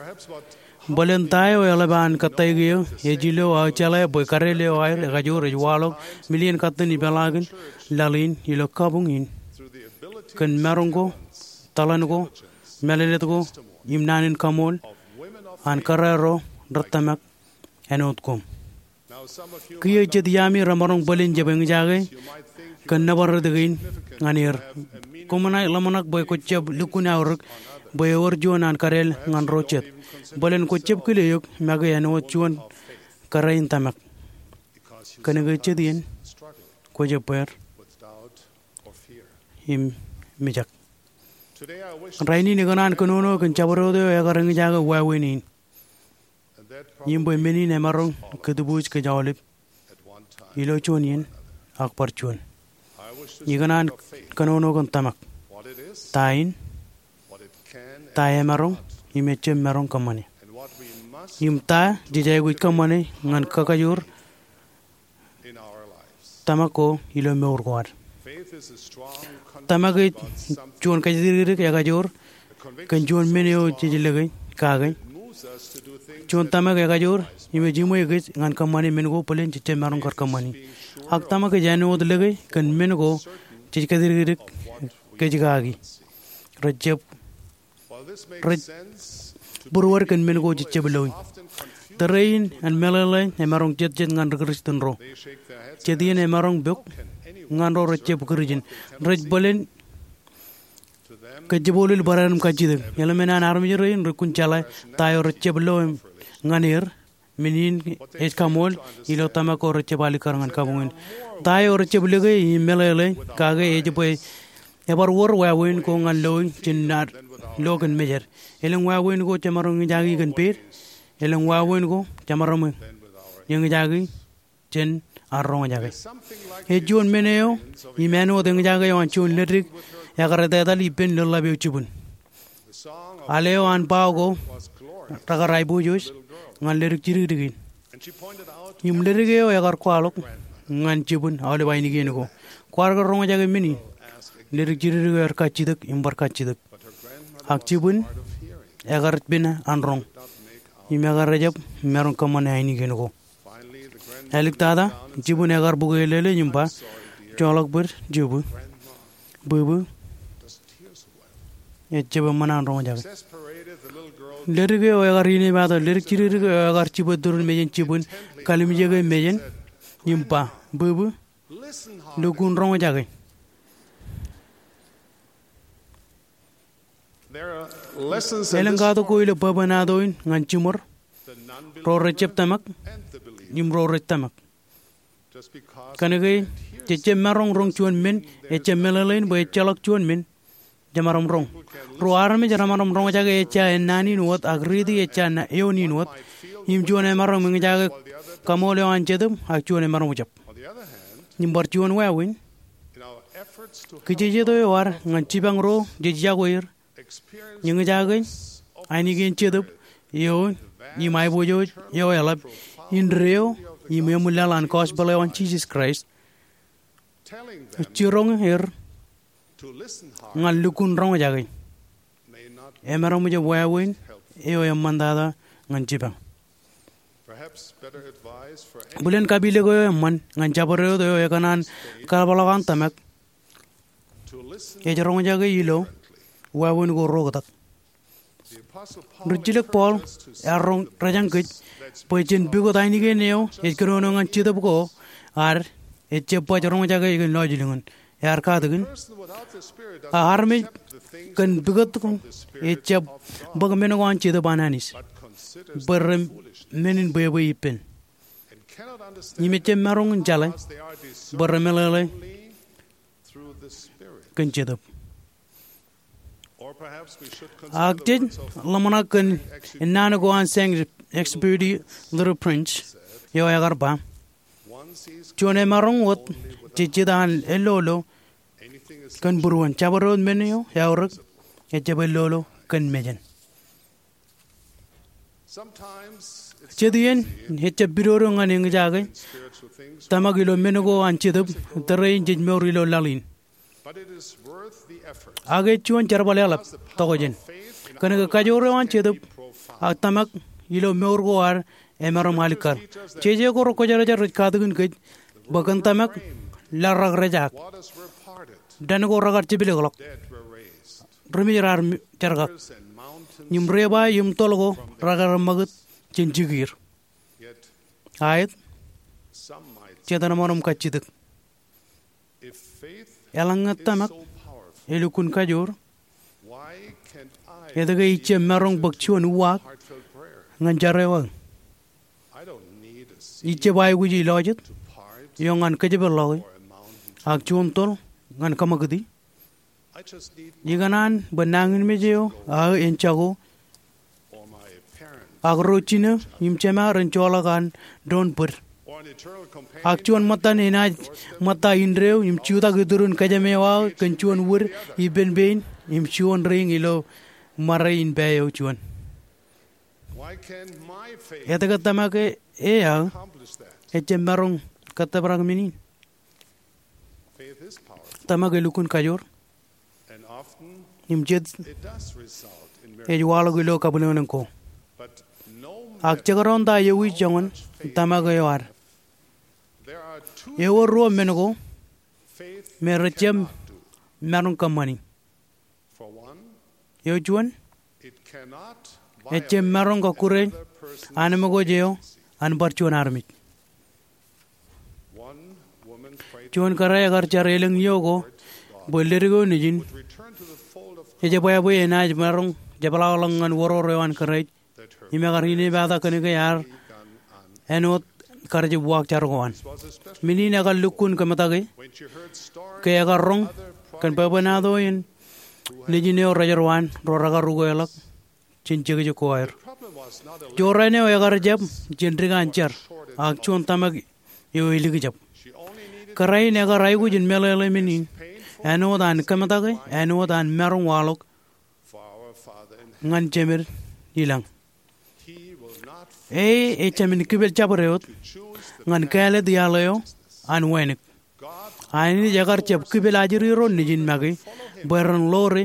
Bōlen ta eo eḷap an kōttāik eō ej ilo aō jeḷā bwe kadeel eo aer ekajoor ej waḷọk million katten ipeḷaakin laḷ in ilo kabuñ in kōn maroñ ko, tōḷan ko, mālōtlōt ko, im naan in kaṃool an kōrā ro rej tōmak āinwōt koṃ. Kiiō jet iaami remaroñ bōlen jab eñjake kōn nōbar rot kein ñan er. Koṃ naaj ḷōmṇak bwe kwō jab lukkuun aorōk bwe ewōr juon an kadeel ñan ro jet. Bōlen kwō jab kile eok make āinwōt juon kōrā in tōmak. Kōnke jet iien kwō jab bweer im mijak. Rainin ikōṇaan kōnono kōn jabdewōt eo ekar eñjake wāween in. Im bwe men in emaroñ kōtbuuj kōj aolep ilo juon iien ak bar juon. Ikōṇaan kōnono kōn tōmak. Ta in, ta emaroñ, im ejjab maroñ kōṃṃane. Im ta jej aikuj kōṃṃane ñan kakajoor tōmak ko ilo mour ko ad. Tōmak ej juon kōjatdikdik ekajoor kōn juon men eo jej lōke kake. Juon tōmak ekajoor im ej iṃwe kōj ñan kōṃṃane men ko bōlen jej jab maroñ kar kōṃṃani. Ak tōmak ej āinwōt lōke kōn men ko jej kōjatdikdik kōj kaki. Rej jab Rej būruod kōn men ko jej jab loi. Tōre in an meḷeḷe emaroñ jetjet ñan ri Kristian ro. Jet iien emaroñ pok ñan ro rej jab Kūrjin. Rej bōlen kōjjepolol barāinwōt im kajjitōk. Eḷmen an armej rein rej kōn jeḷā ta eo rej jab lo ñan er. Men in ej kaṃool ilo tōmak ko rej jab alikkar ñan kabuñ in. Ta eo rej jab lōke im meḷeḷe kake ej bwe ebar wōr wāween ko ñan loi jān ad lo kōn mejed. Elōñ wāween ko jemaroñ eñjake kōn pād. Elōñ wāween ko jemaroñ eñjake jān an roñjake. Ej juon men eo im āinwōt eñjake eo an juon ledik ekar etetal ippān lōḷḷap eo jibwin. Al eo an bao ko rekar aiboojoj ñan ledik jidikdik in. Im ledik eo ekar kwaḷọk ñan jibwin aolep ainikien ko, kwaar ke roñjake men in? Ledik jidikdik eo ear kajjitōk im bar kajjitōk. Ak jibwin ekar pina an roñ im ekar ejjab maroñ kōṃṃane ainikien ko. Āliktata, jibwin ekar bukwe lōḷōḷ im ba, joḷọk bōd jibwi, bwibwi, ejjab eṃṃan an roñjake. Ledik eo ekar inepata ledik jidikdik eo ekar jibwe turin mejān jibwin, kalimjeke mejān im ba, bwibwi, lukkuun roñjake. Elōñ katak ko ilo bwebwenato in ñan jiṃor, ro rejjab tōmak im ro rej tōmak. Kōnke jejjab maroñ roñ juon men, ejjab meḷeḷein bwe ejjeḷọk juon men jemaroñ roñ. Ruo armej remaroñ roñjake ejja ennaan in wōt ak riiti ejja eoon in wōt, im juon emaroñ eñjake kaṃool eo an jetōb ak juon emaroñ jab. Im bar juon wāween, kijejet eo ad ñan jipañ ro jej yokwe er, eñjake ainikien jetōb eo im aiboojoj eo eḷap indeeo im eṃwilaḷ an gospel eo an Jisōs Kraist, jiroñ er ñan lukkuun roñjake emaroñ jab wāween eo eṃṃantata ñan jipañ. Bōlen kapilōk eo eṃṃan ñan jabdewōt eo ekōṇaan kaḷapḷọk an tōmak ej roñjake ilo wāween ko reoktak. Rijjilōk Paul ear roñ rejañ kōj bwe jen pukot ainikien eo ej kōnono ñan jetōb ko ad ejjab baj roñjake kōn lọjilñin. Ear katakin, a armej kōn pukot ejjab bōk men ko an jetōb an Anij bwe ren men in bwebwe ippān, im ejjab maroñ in jeḷā bwe remeḷeḷe kōn jetōb. Ak jej ḷōmṇak kōn ennaan ko an Saint-Exupéry, Little Prince, eo ekar ba, juon emaroñ wōt jej jet an ellolo kōn būruon. Jabdewōt men eo eaorōk ejjab ellolo kōn mejān. Jet iien ejjab pidodo ñan eñjake tōmak ilo men ko an jetōb tōre in jej mour ilo laḷ in. Ak ej juon jerbal eḷap tokjān, kōnke kajoor eo an jetōb ak tōmak ilo mour ko ad emaroñ alikkar. Jeje ko rekwōjarjar rej katakin kōj bwe kōn tōmak laḷ rak rejaak, dān ko rekar jepḷọklọk, ri mej raar jerkak, im rieba im toḷ ko rekar ṃakūt jān jikier. Aet, jet remaroñ kajjitōk. Eḷaññe tōmak elukkuun kajoor, etke ij jab maroñ bōk juon uwaak ñan jar eo aō? Ij jab aikuji lọjet eo ñan kōjepḷọki ak juon toḷ ñan kaṃakūti. Ikōṇaan bwe nañinmej eo aō en jako ak ro jino im jema ren joḷọk an doon bōd, ak juon ṃōttan enaaj ṃōtta indeeo im jutak iturin kōjām eo aō kōn juon wūd ippān pein im juon reiñ ilo ṃare in pā eo juon. Etke tōmak e aō ejjab maroñ kōttōprak men in? Tōmak elukkuun kajoor, im jet ej waḷọk ilo kabwilōñlōñ ko. Ak jekdọọn ta ewi joñan tōmak eo ad. Ewōr ruo men ko me rejjab maroñ kōṃṃani. Eo juon, ejjab maroñ kọkkure anemkwōj eo an bar juon armej. Juon kōrā ekar jar elōñ iiō ko bwe ledik eo nejin ejebwābwe enaaj maroñ jepḷaakḷọk ñan woror eo an Kraist im ekar inepata kōnke ear āinwōt kar jab uwaak jar ko an. Men in ekar lukkuun kōmetak e ke ekar roñ kōn bwebwenato in nejin eo rej jar waan ro rekar ukeḷọk jān jekjek ko aer. Jorrāān eo ekar jab jān dik an jar, ak juon tōmak eo elikjab. Kōrā in ekar aikuj in meḷeḷe men in āinwōt an kōmetake, āinwōt an maroñ waḷọk ñan Jemed ilañ. E ejāmin kipel jabdewōt ñan kāālōt iaḷ eo an wānōk. Anij ekar jab kipel ajri ro nejin make bwe ren ḷoore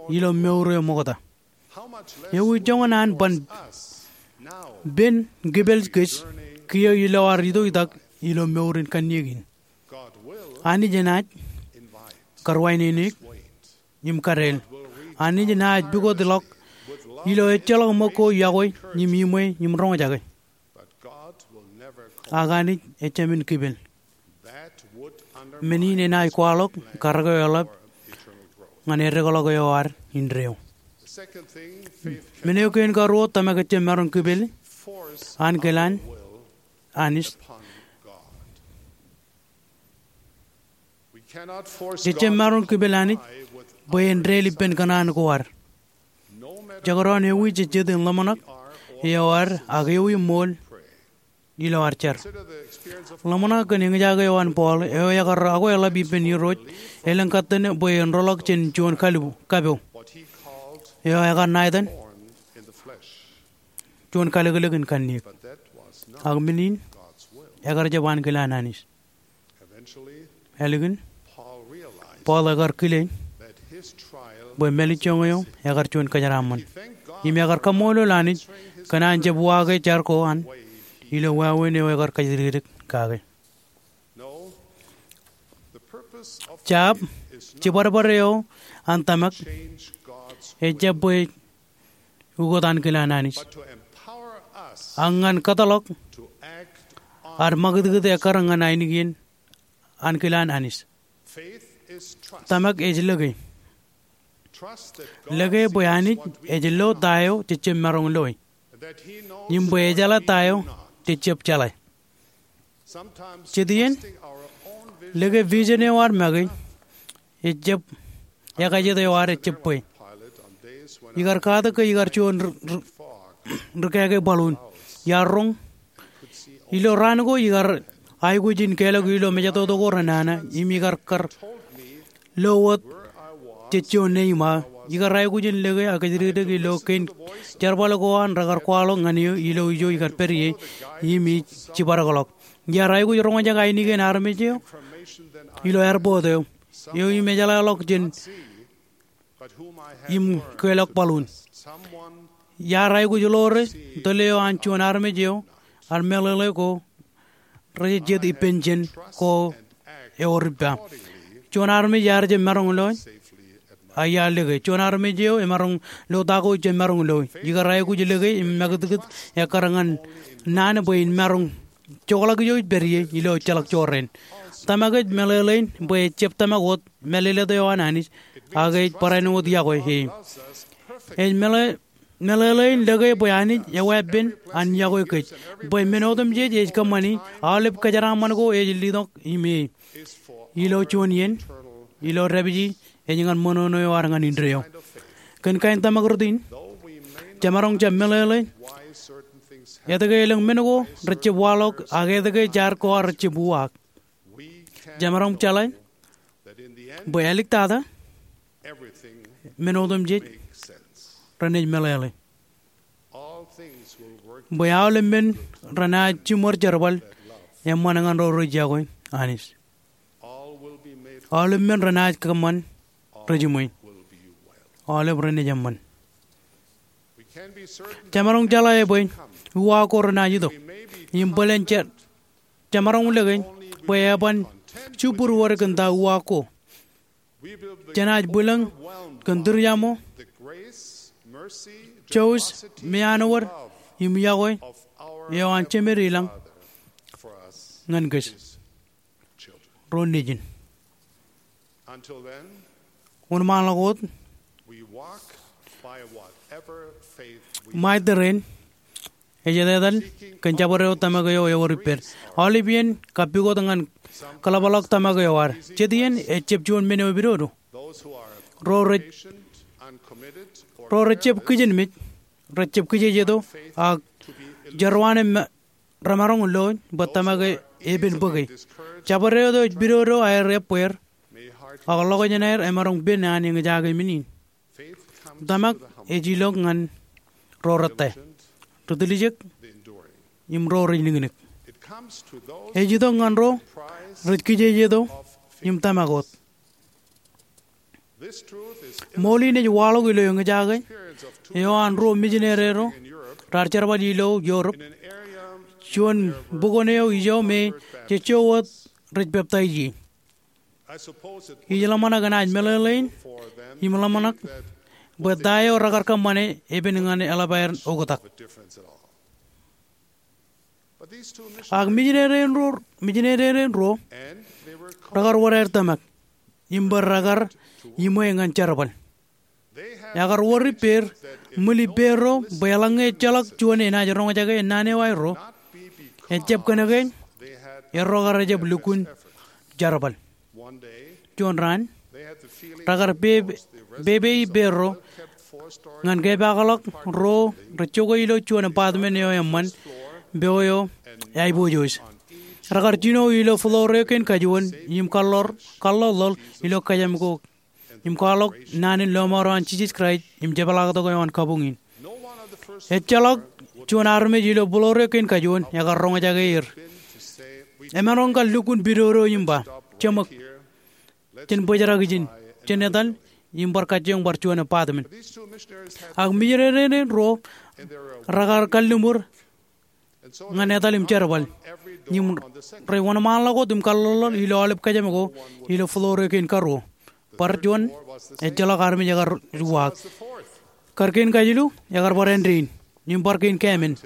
ilo mour eo ṃokta. Ewi joñan an ban pen kipel kōj kiiō ilo ad itoitak ilo mour in kanniōk in? Anij enaaj karuwaineneik im kadeel. Anij enaaj pukotḷọk ilo ejjeḷọk ṃōk ko yokwe im iṃwe im roñjake. Ak Anij ejāmin kipel. Men in enaaj kwaḷọk karōk eo eḷap ñan eddekḷọk eo ad indeeo. Men eo kein karuo, tōmak ejjab maroñ kipel ankilaan Anij. Ejjab maroñ kipel Anij bwe en dāl ippān kōṇaan ko ad. Jekdọọn ewi jejjet in ḷōmṇak eo ad ak ewi ṃool ilo ad jar. Ḷōmṇak kōn eñjake eo an Paul, eo ekar akweḷap ippān Irooj elōñ kōttan bwe en roḷọk jān juon kapo, eo ekar ṇa etan juon kalōklōk in kanniōk. Ak men in ekar jab ankilaan Anij. Ālikin, Paul ekar kile bwe mālejjoñ eo ekar juon kōjeraaṃṃan. Im ekar kaṃṃoolol Anij kōn an jab uwaake jar ko an ilo wāween eo ekar kajjidikdik kake. Jab, jibadbad eo an tōmak ejjab bwe ukōt ankilaan Anij, ak ñan kōtḷọk ad ṃakūtkūt ekkar ñan ainikien ankilaan Anij. Tōmak ej lōke. Lōke bwe Anij ej lo ta eo jejjab maroñ loe, im bwe ejeḷā ta eo jejjab jeḷā. Jet iien, lōke vision eo ad make ejjab, ekajet eo ad ejjab bwe. Ikar katak ke ikar juon ri, ri, rikāāke balloon. Iar roñ, ilo raan ko ikar aikuj in kelọk ilo mejatoto ko renana, im ikar kar lo wōt jej juon neima. Ikar aikuj in lōke ak kajjidikdik ilo kein jerbal ko an rekar kwaḷọk ñan eō ilo ijo ikar pād ie, im ij jibadekḷọk. Iar aikuj roñjake ainikien armej eo ilo airport eo, eo im ejeḷāḷọk jān im kelọk balloon. Iar aikuj ḷoore tōl eo an juon armej eo ad meḷeḷe ko rej jet ippān jān ko ewōr ippa. Juon armej iar jab maroñ loe, ak iar lōke. Juon armej eo emaroñ lo ta ko ijjab maroñ loe. Ikar aikuj lōke im ṃakūtkūt ekkar ñan naan bwe in maroñ jokḷọk ijo ij pād ie ilo ejjeḷọk jorrāān. Tōmak ej meḷeḷein bwe ejjab tōmak wōt mālōtlōt eo an Anij, ak ej barāinwōt yokwe e. Ej meḷe, meḷeḷein lōke bwe Anij eweeppān an yokwe kōj, bwe men otemjej ej kōṃṃani aolep kōjeraaṃṃan ko ej letok im e. Ilo juon iien, ilo dāpiji ej ñan ṃōṇōṇō eo ad ñan indeeo. Kōn kain tōmak rot in, jemaroñ jab meḷeḷe etke elōñ men ko rejjab waḷọk ak etke jar ko ad rejjab uwaak. Jemaroñ jeḷā bwe āliktata, men otemjej renaaj meḷeḷe. Bwe aolep men renaaj jiṃor jerbal eṃṃan ñan ro rej yokwe Anij. Aolep men renaaj kōṃṃan rejiṃwe. Aolep renaaj eṃṃan. Jemaroñ jeḷā bwe uwaak ko renaaj itok. Im bōlen je, jemaroñ lōke bwe eban jibwid wōt kōn ta uwaak ko. Jenaaj bwilōñ kōn tūriaṃo, jouj, meanwōd, im yokwe eo an Jemed ilañ ñan kōj ro nejin. Wōnṃaanḷọk wōt, ṃae tōre in ej etetal kōn jabdewōt tōmak eo ewōr ippād. Aolep iien kapukot ñan kaḷapḷọk tōmak eo ad. Jet iien ejjab juon men eo epidodo. Ro rej, ro rejjab kijenmej, rejjab kijejeto, ak jerwaan im remaroñ loe bwe tōmak e epen bōke. Jabdewōt eo ej pidodo aer ebbeer, ak ḷọkjeṇ aer emaroñ pen an eñjake men in. Tōmak ej ilọk ñan ro rettā, ri tiljek, im ro rej niknik. Ej itok ñan ro rej kijejeto im tōmak wōt. Ṃool in ej waḷọk ilo eñjake eo an ruo mijineri ro raar jerbal ilo Europe, juon bukwōn eo ijo me jejjo wōt rej peptaij ie. Ij ḷōmṇak enaaj meḷeḷein im ḷōmṇak bwe ta eo rekar kōṃṃane epen ñan eḷap aer oktak. Ak mijineri in ruo, mijineri in ruo rekar wōr aer tōmak im bwe rekar iṃwe ñan jerbal. Ekar wōr ippāer, ṃwil ippāerro, bwe eḷaññe ejjeḷọk juon enaaj roñjake naan eo aerro, ejjab kōnke erro kar ejjab lukkuun jerbal. Juon raan, rekar pe-, pepe ippāerro ñan kepaakḷọk ro rej jokwe ilo juon apartment eo eṃṃan, peo eo aiboojoj. Rekar jino ilo floor eo kein kajuon im kaḷḷoḷ, kaḷḷoḷḷoḷ ilo kōjām ko im kwaḷọk naan in lọmọọr eo an Jisōs Kraist im jepḷaaktok eo an kabuñ in. Ejjeḷọk juon armej ilo floor eo kein kajuon ekar roñjake er. Emaroñ kar lukkuun pidodo im ba, "Jeṃōk, jen bōjrak ijin, jen etal im bar kajjioñ bar juon apartment." Ak mijineri in ruo rekar kalliṃur ñan etal im jerbal. Im rej wōnṃaanḷọk wōt im kaḷḷoḷḷoḷ ilo aolep kōjām ko ilo floor eo kein karuo. Bar juon, ejjeḷọk armej ekar uwaak. Kar kein kajilu, ekar bar āindein im bar kein kāmen.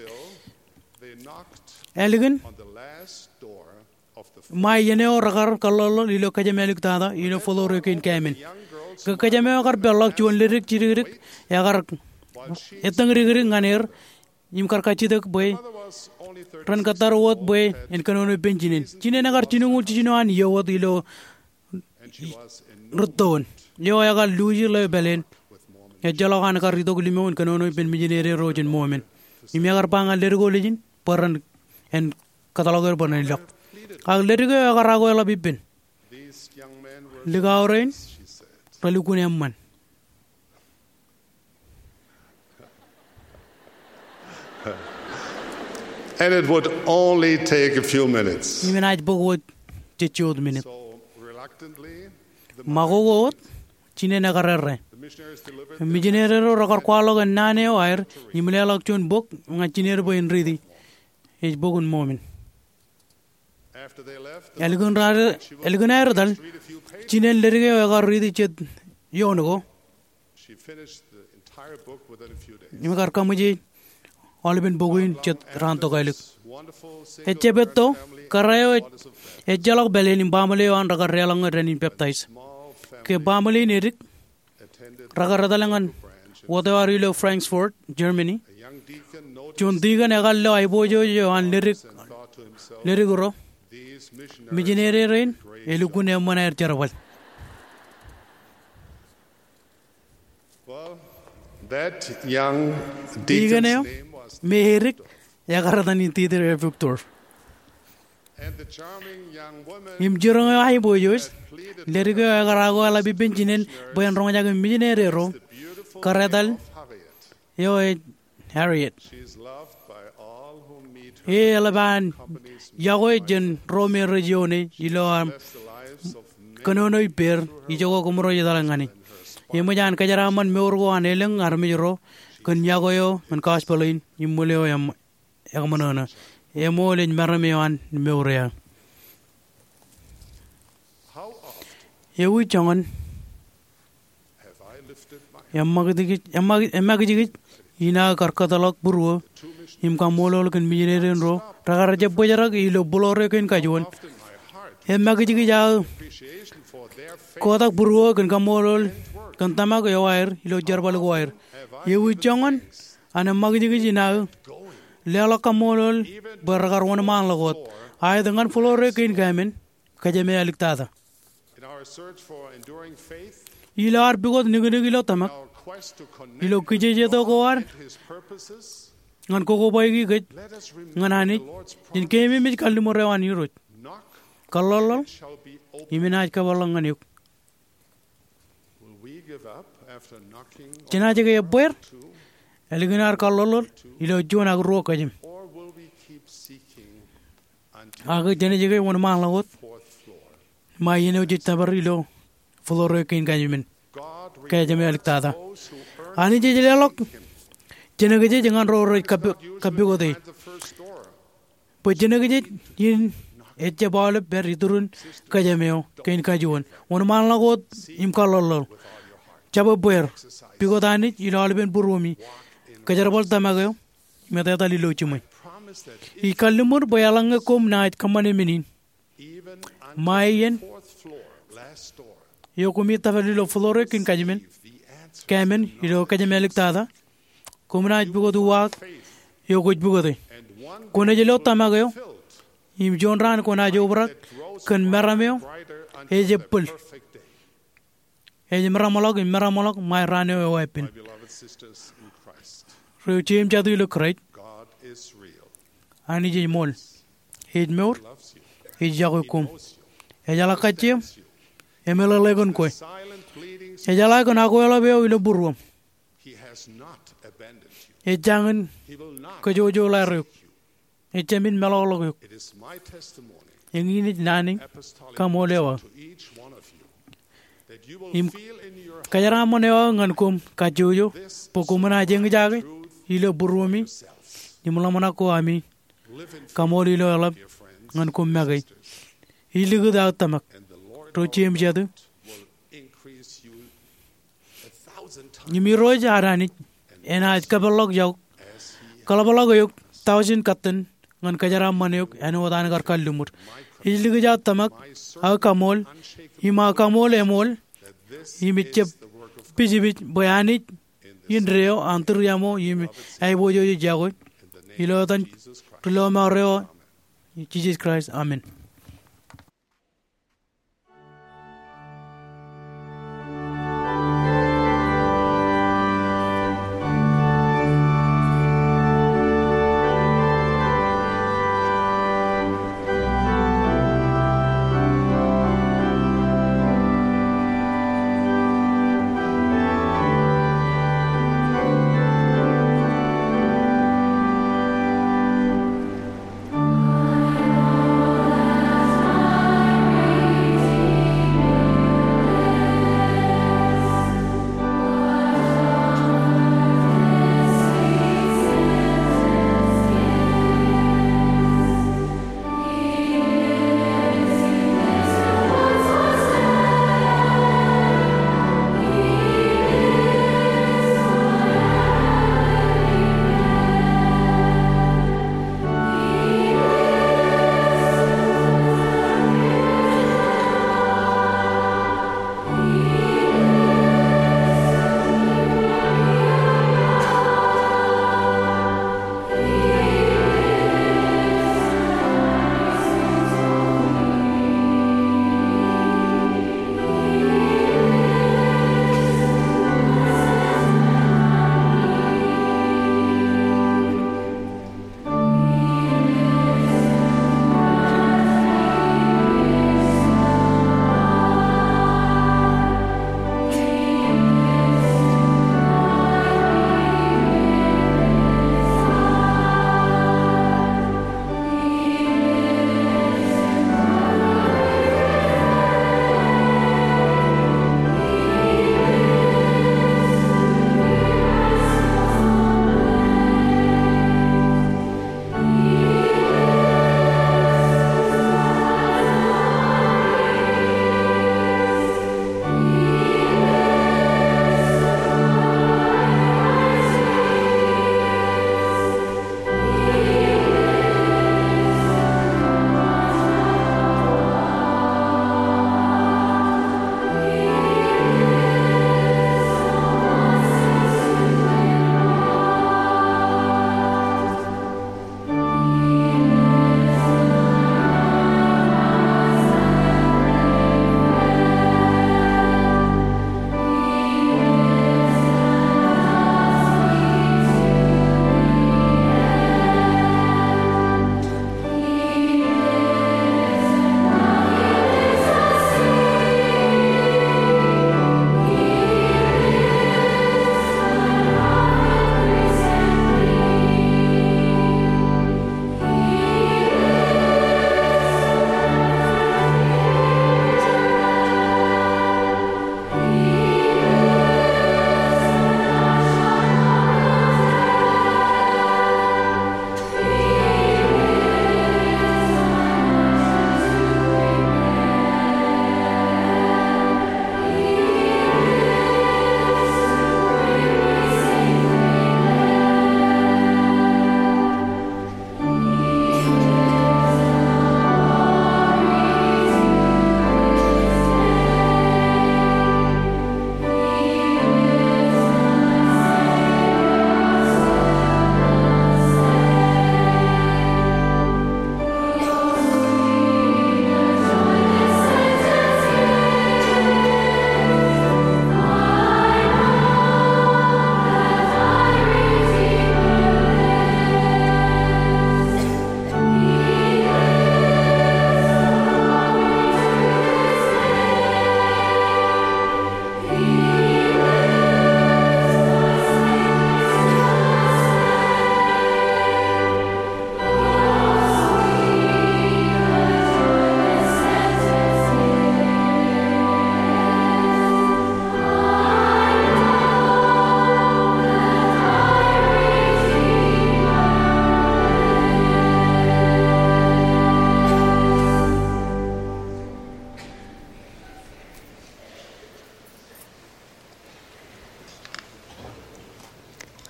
Ālikin ṃae iien eo rekar kaḷḷoḷḷoḷ ilo kōjām āliktata ilo floor eo kein kāmen. Ke kōjām eo ekar peḷḷọk, juon ledik jidikdik ekar ettōñ dikdik ñan er im kar kajjitōk bwe ren kōttar wōt bwe en kōnono ippān jinen. Jinen ekar jilñuul jiljino an iiō wōt ilo rūttoon eo ekar luuji ḷeo pāleen. Ejjeḷọk an kar itok limo in kōnono ippān mijineri ro jān Ṃomen. Im ekar ba ñan ledik ko lijin bwe ren, en kōtḷọk er bwe ren ilọk. Ak ledik eo ekar akoeḷap ippān, "Likao rein relukkuun eṃṃan." And it would only take a few minutes. Im enaaj bōk wōt jejjo wōt minit. So, reluctantly, the ṃakoko wōt, jinen ekar errā. The missionaries delivered their Mijineri ro rekar kwaḷọk naan eo aer im leḷọk juon bok ñan jinen bwe en riiti. Ej bok in Ṃomen. Ālikin raar, ālikin aer etal, jinen ledik eo ekar riiti jet ioon ko. Im ekar kaṃōje aolepen bok in jet raan tokālik. Ejjab etto, kōrā eo ej, ejjeḷọk pāleen im baaṃle eo an rekar deḷọñe dān in peptaij. Ke baaṃle in edik, rekar etal ñan wōt eo ad ilo Frankfurt, Germany. Juon tikōn ekar lo aiboojoj eo an ledik, ledik ro, "Mijineri rein elukkuun eṃṃan aer jerbal." Well, that young deacon's name was, tikōn eo me edik, ekar etan in Dieter Victor. And the charming young woman Im jiroñ eo aiboojoj, ledik eo ekar akoeḷap ippān jinen bwe en roñjake mijineri ro, kar etal, eo ej Harriet. She is loved by all who meet her. E eḷap an yokwe jān ro me rej ioone ilo aṃ kōnono ippāer, ijoko koṃro ej etal ñan e. Eṃōj an kōjeraaṃṃan mour ko an elōñ armej ro kōn yokwe eo ñan gospel in im ṃwiin eo eṃ-, eṃōṇōṇō. Eṃool ej meram eo an mour eo aō. Ewi joñan eṃakijkij, eṃakijkij in aō kar kōtḷọk būruō im kaṃṃoolol kōn mijineri ro rekar jab bōjrak ilo floor eo kein kajuon. Eṃakijkij aō kotak būruō kōn kaṃṃoolol kōn tōmak eo aer ilo jerbal ko aer. Ewi joñan an eṃakijkij in aō leḷọk kaṃṃoolol bwe rekar wōnṃaanḷọk wōt aet ñan floor eo kein kāmen, kōjām eo āliktata. In our search for enduring faith, ilo ad pukot niknik ilo tōmak, in our quest to connect ilo kijejeto ko ad with His purposes, ñan kokobaiki kōj ñan Anij, let us remember the Lord's promise. Jen keememej kalliṃur eo an Irooj. kōḷḷoḷḷoḷ, im enaaj kōpeḷḷọk ñan eok. Jenaaj ke ebbeer ālikin ad kōḷḷoḷḷoḷ ilo juon ak ruo kōjām? Ak jenaaj ke wōnṃaanḷọk wōt ṃae iien eo jej tōpar ilo floor eo kein kajmān, kōjām eo āliktata? Anij ej leḷọk jenōkjeej ñan ro rej kab-, kappukot e. Bwe jenōkjeej in ejjab aolep pād iturin kōjām eo kein kajuon. Wōnṃaanḷọk wōt im kōḷḷoḷḷoḷ. Jab ebbeer. Pukot Anij ilo aolepen būruemi. Kōjerbal tōmak eo im etetal ilo jiṃwe. Ij kalliṃur bwe eḷaññe koṃ naaj kōṃṃane men in ṃae iien eo koṃij tōpar ilo floor eo kein kajmān, kajmān ilo kōjām āliktata, koṃ naaj pukot uwaak eo kwōj pukote. Kwōnaaj lo tōmak eo, im juon raan kwōnaaj obrak kōn meram eo ej ebbōl. Ej meramḷọk im meramḷọk ṃae raan eo eweeppān. Ri jeṃjatu ilo Kraist, Anij ej ṃool. Ej mour. Ej yokwe koṃ. Ejeḷā kajjieṃ. Emeḷeḷe kōn kwe. Ejeḷā kōn akweḷap eo ilo būruōṃ. Ejjañin kōjojolaer eok. Ejāmin meḷọkḷọk eok. Eñin ej naan in kaṃool eo aō. Im kōjeraaṃṃan eo aō ñan koṃ kajjojo bwe koṃ naaj eñjake ilo būruemi im ḷōmṇak ko ami kaṃool ilo eḷap ñan koṃ make. Ij likūt aō tōmak, ri jeṃjatu. Im Irooj ad Anij enaaj kapeḷḷọk iaok, kaḷapḷọk eok thousand katten ñan kōjeraaṃṃan eok āinwōt an kar kalliṃur. Ij likūt aō tōmak, aō kaṃool, im aō kaṃool eṃool, im ejjab pijpij bwe Anij indeeo an tūriaṃo im aiboojoj ej yokwe. Ilo etan ri lọmọọr eo, Jisōs Kraist, amen.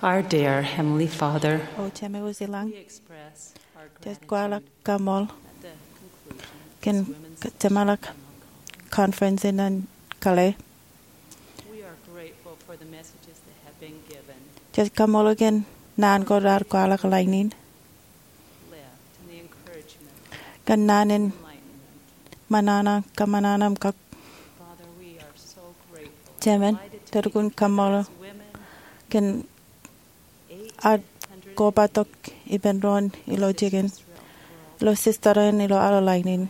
Our dear Heavenly Father, O Jemem wōt ilañ, jej kwaḷọk kaṃool kōn jeṃḷọk conference in an kale. Jej kaṃṃoolol kōn naan ko raar kwaḷọk ḷain in, kōn naan in ṃōṇōṇō, kōṃṃanṃōṇō kōk. Jemān, jej lukkuun kaṃṃoolol kōn ad koba tok ippān doon ilo jikin, ilo sistōr in ilo aolep ḷain in,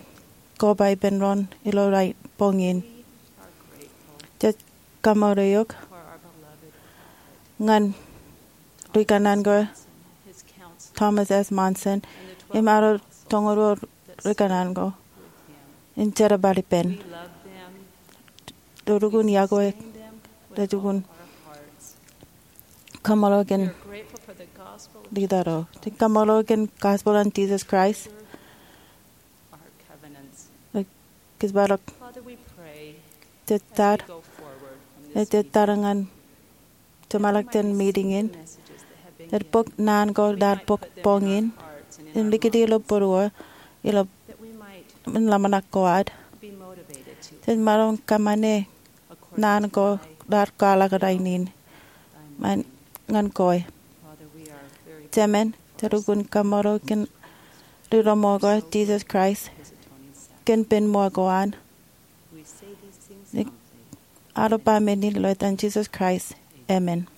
koba ippān doon ilo boñ in. Jej kaṃṃoolol eok ñan ri kōnnaan ko, Thomas S. Monson im ad toñoul ruo ri kōnnaan ko, im jerbal ippān. Rej lukkuun iọkwe, rej lukkuun kaṃṃoolol kōn leader eo. Jej kaṃṃoolol kōn gospel an Jesus Christ. Kōjparok, jej tar, jej tar ñan jeṃḷọk jān meeting in, jej bōk naan ko raar bōk boñ in im likūti ilo būruō ilo ṃōṇōṇō ko ad. Jej maroñ kōṃṃane naan ko raar kwaḷọk rainin ñan kwe. Jemān, jej lukkuun kaṃṃoolol kōn ri-roñ ko, Jesus Christ, kōn pen ṃool ko an. Aolep ba men in ilo etan Jesus Christ, amen.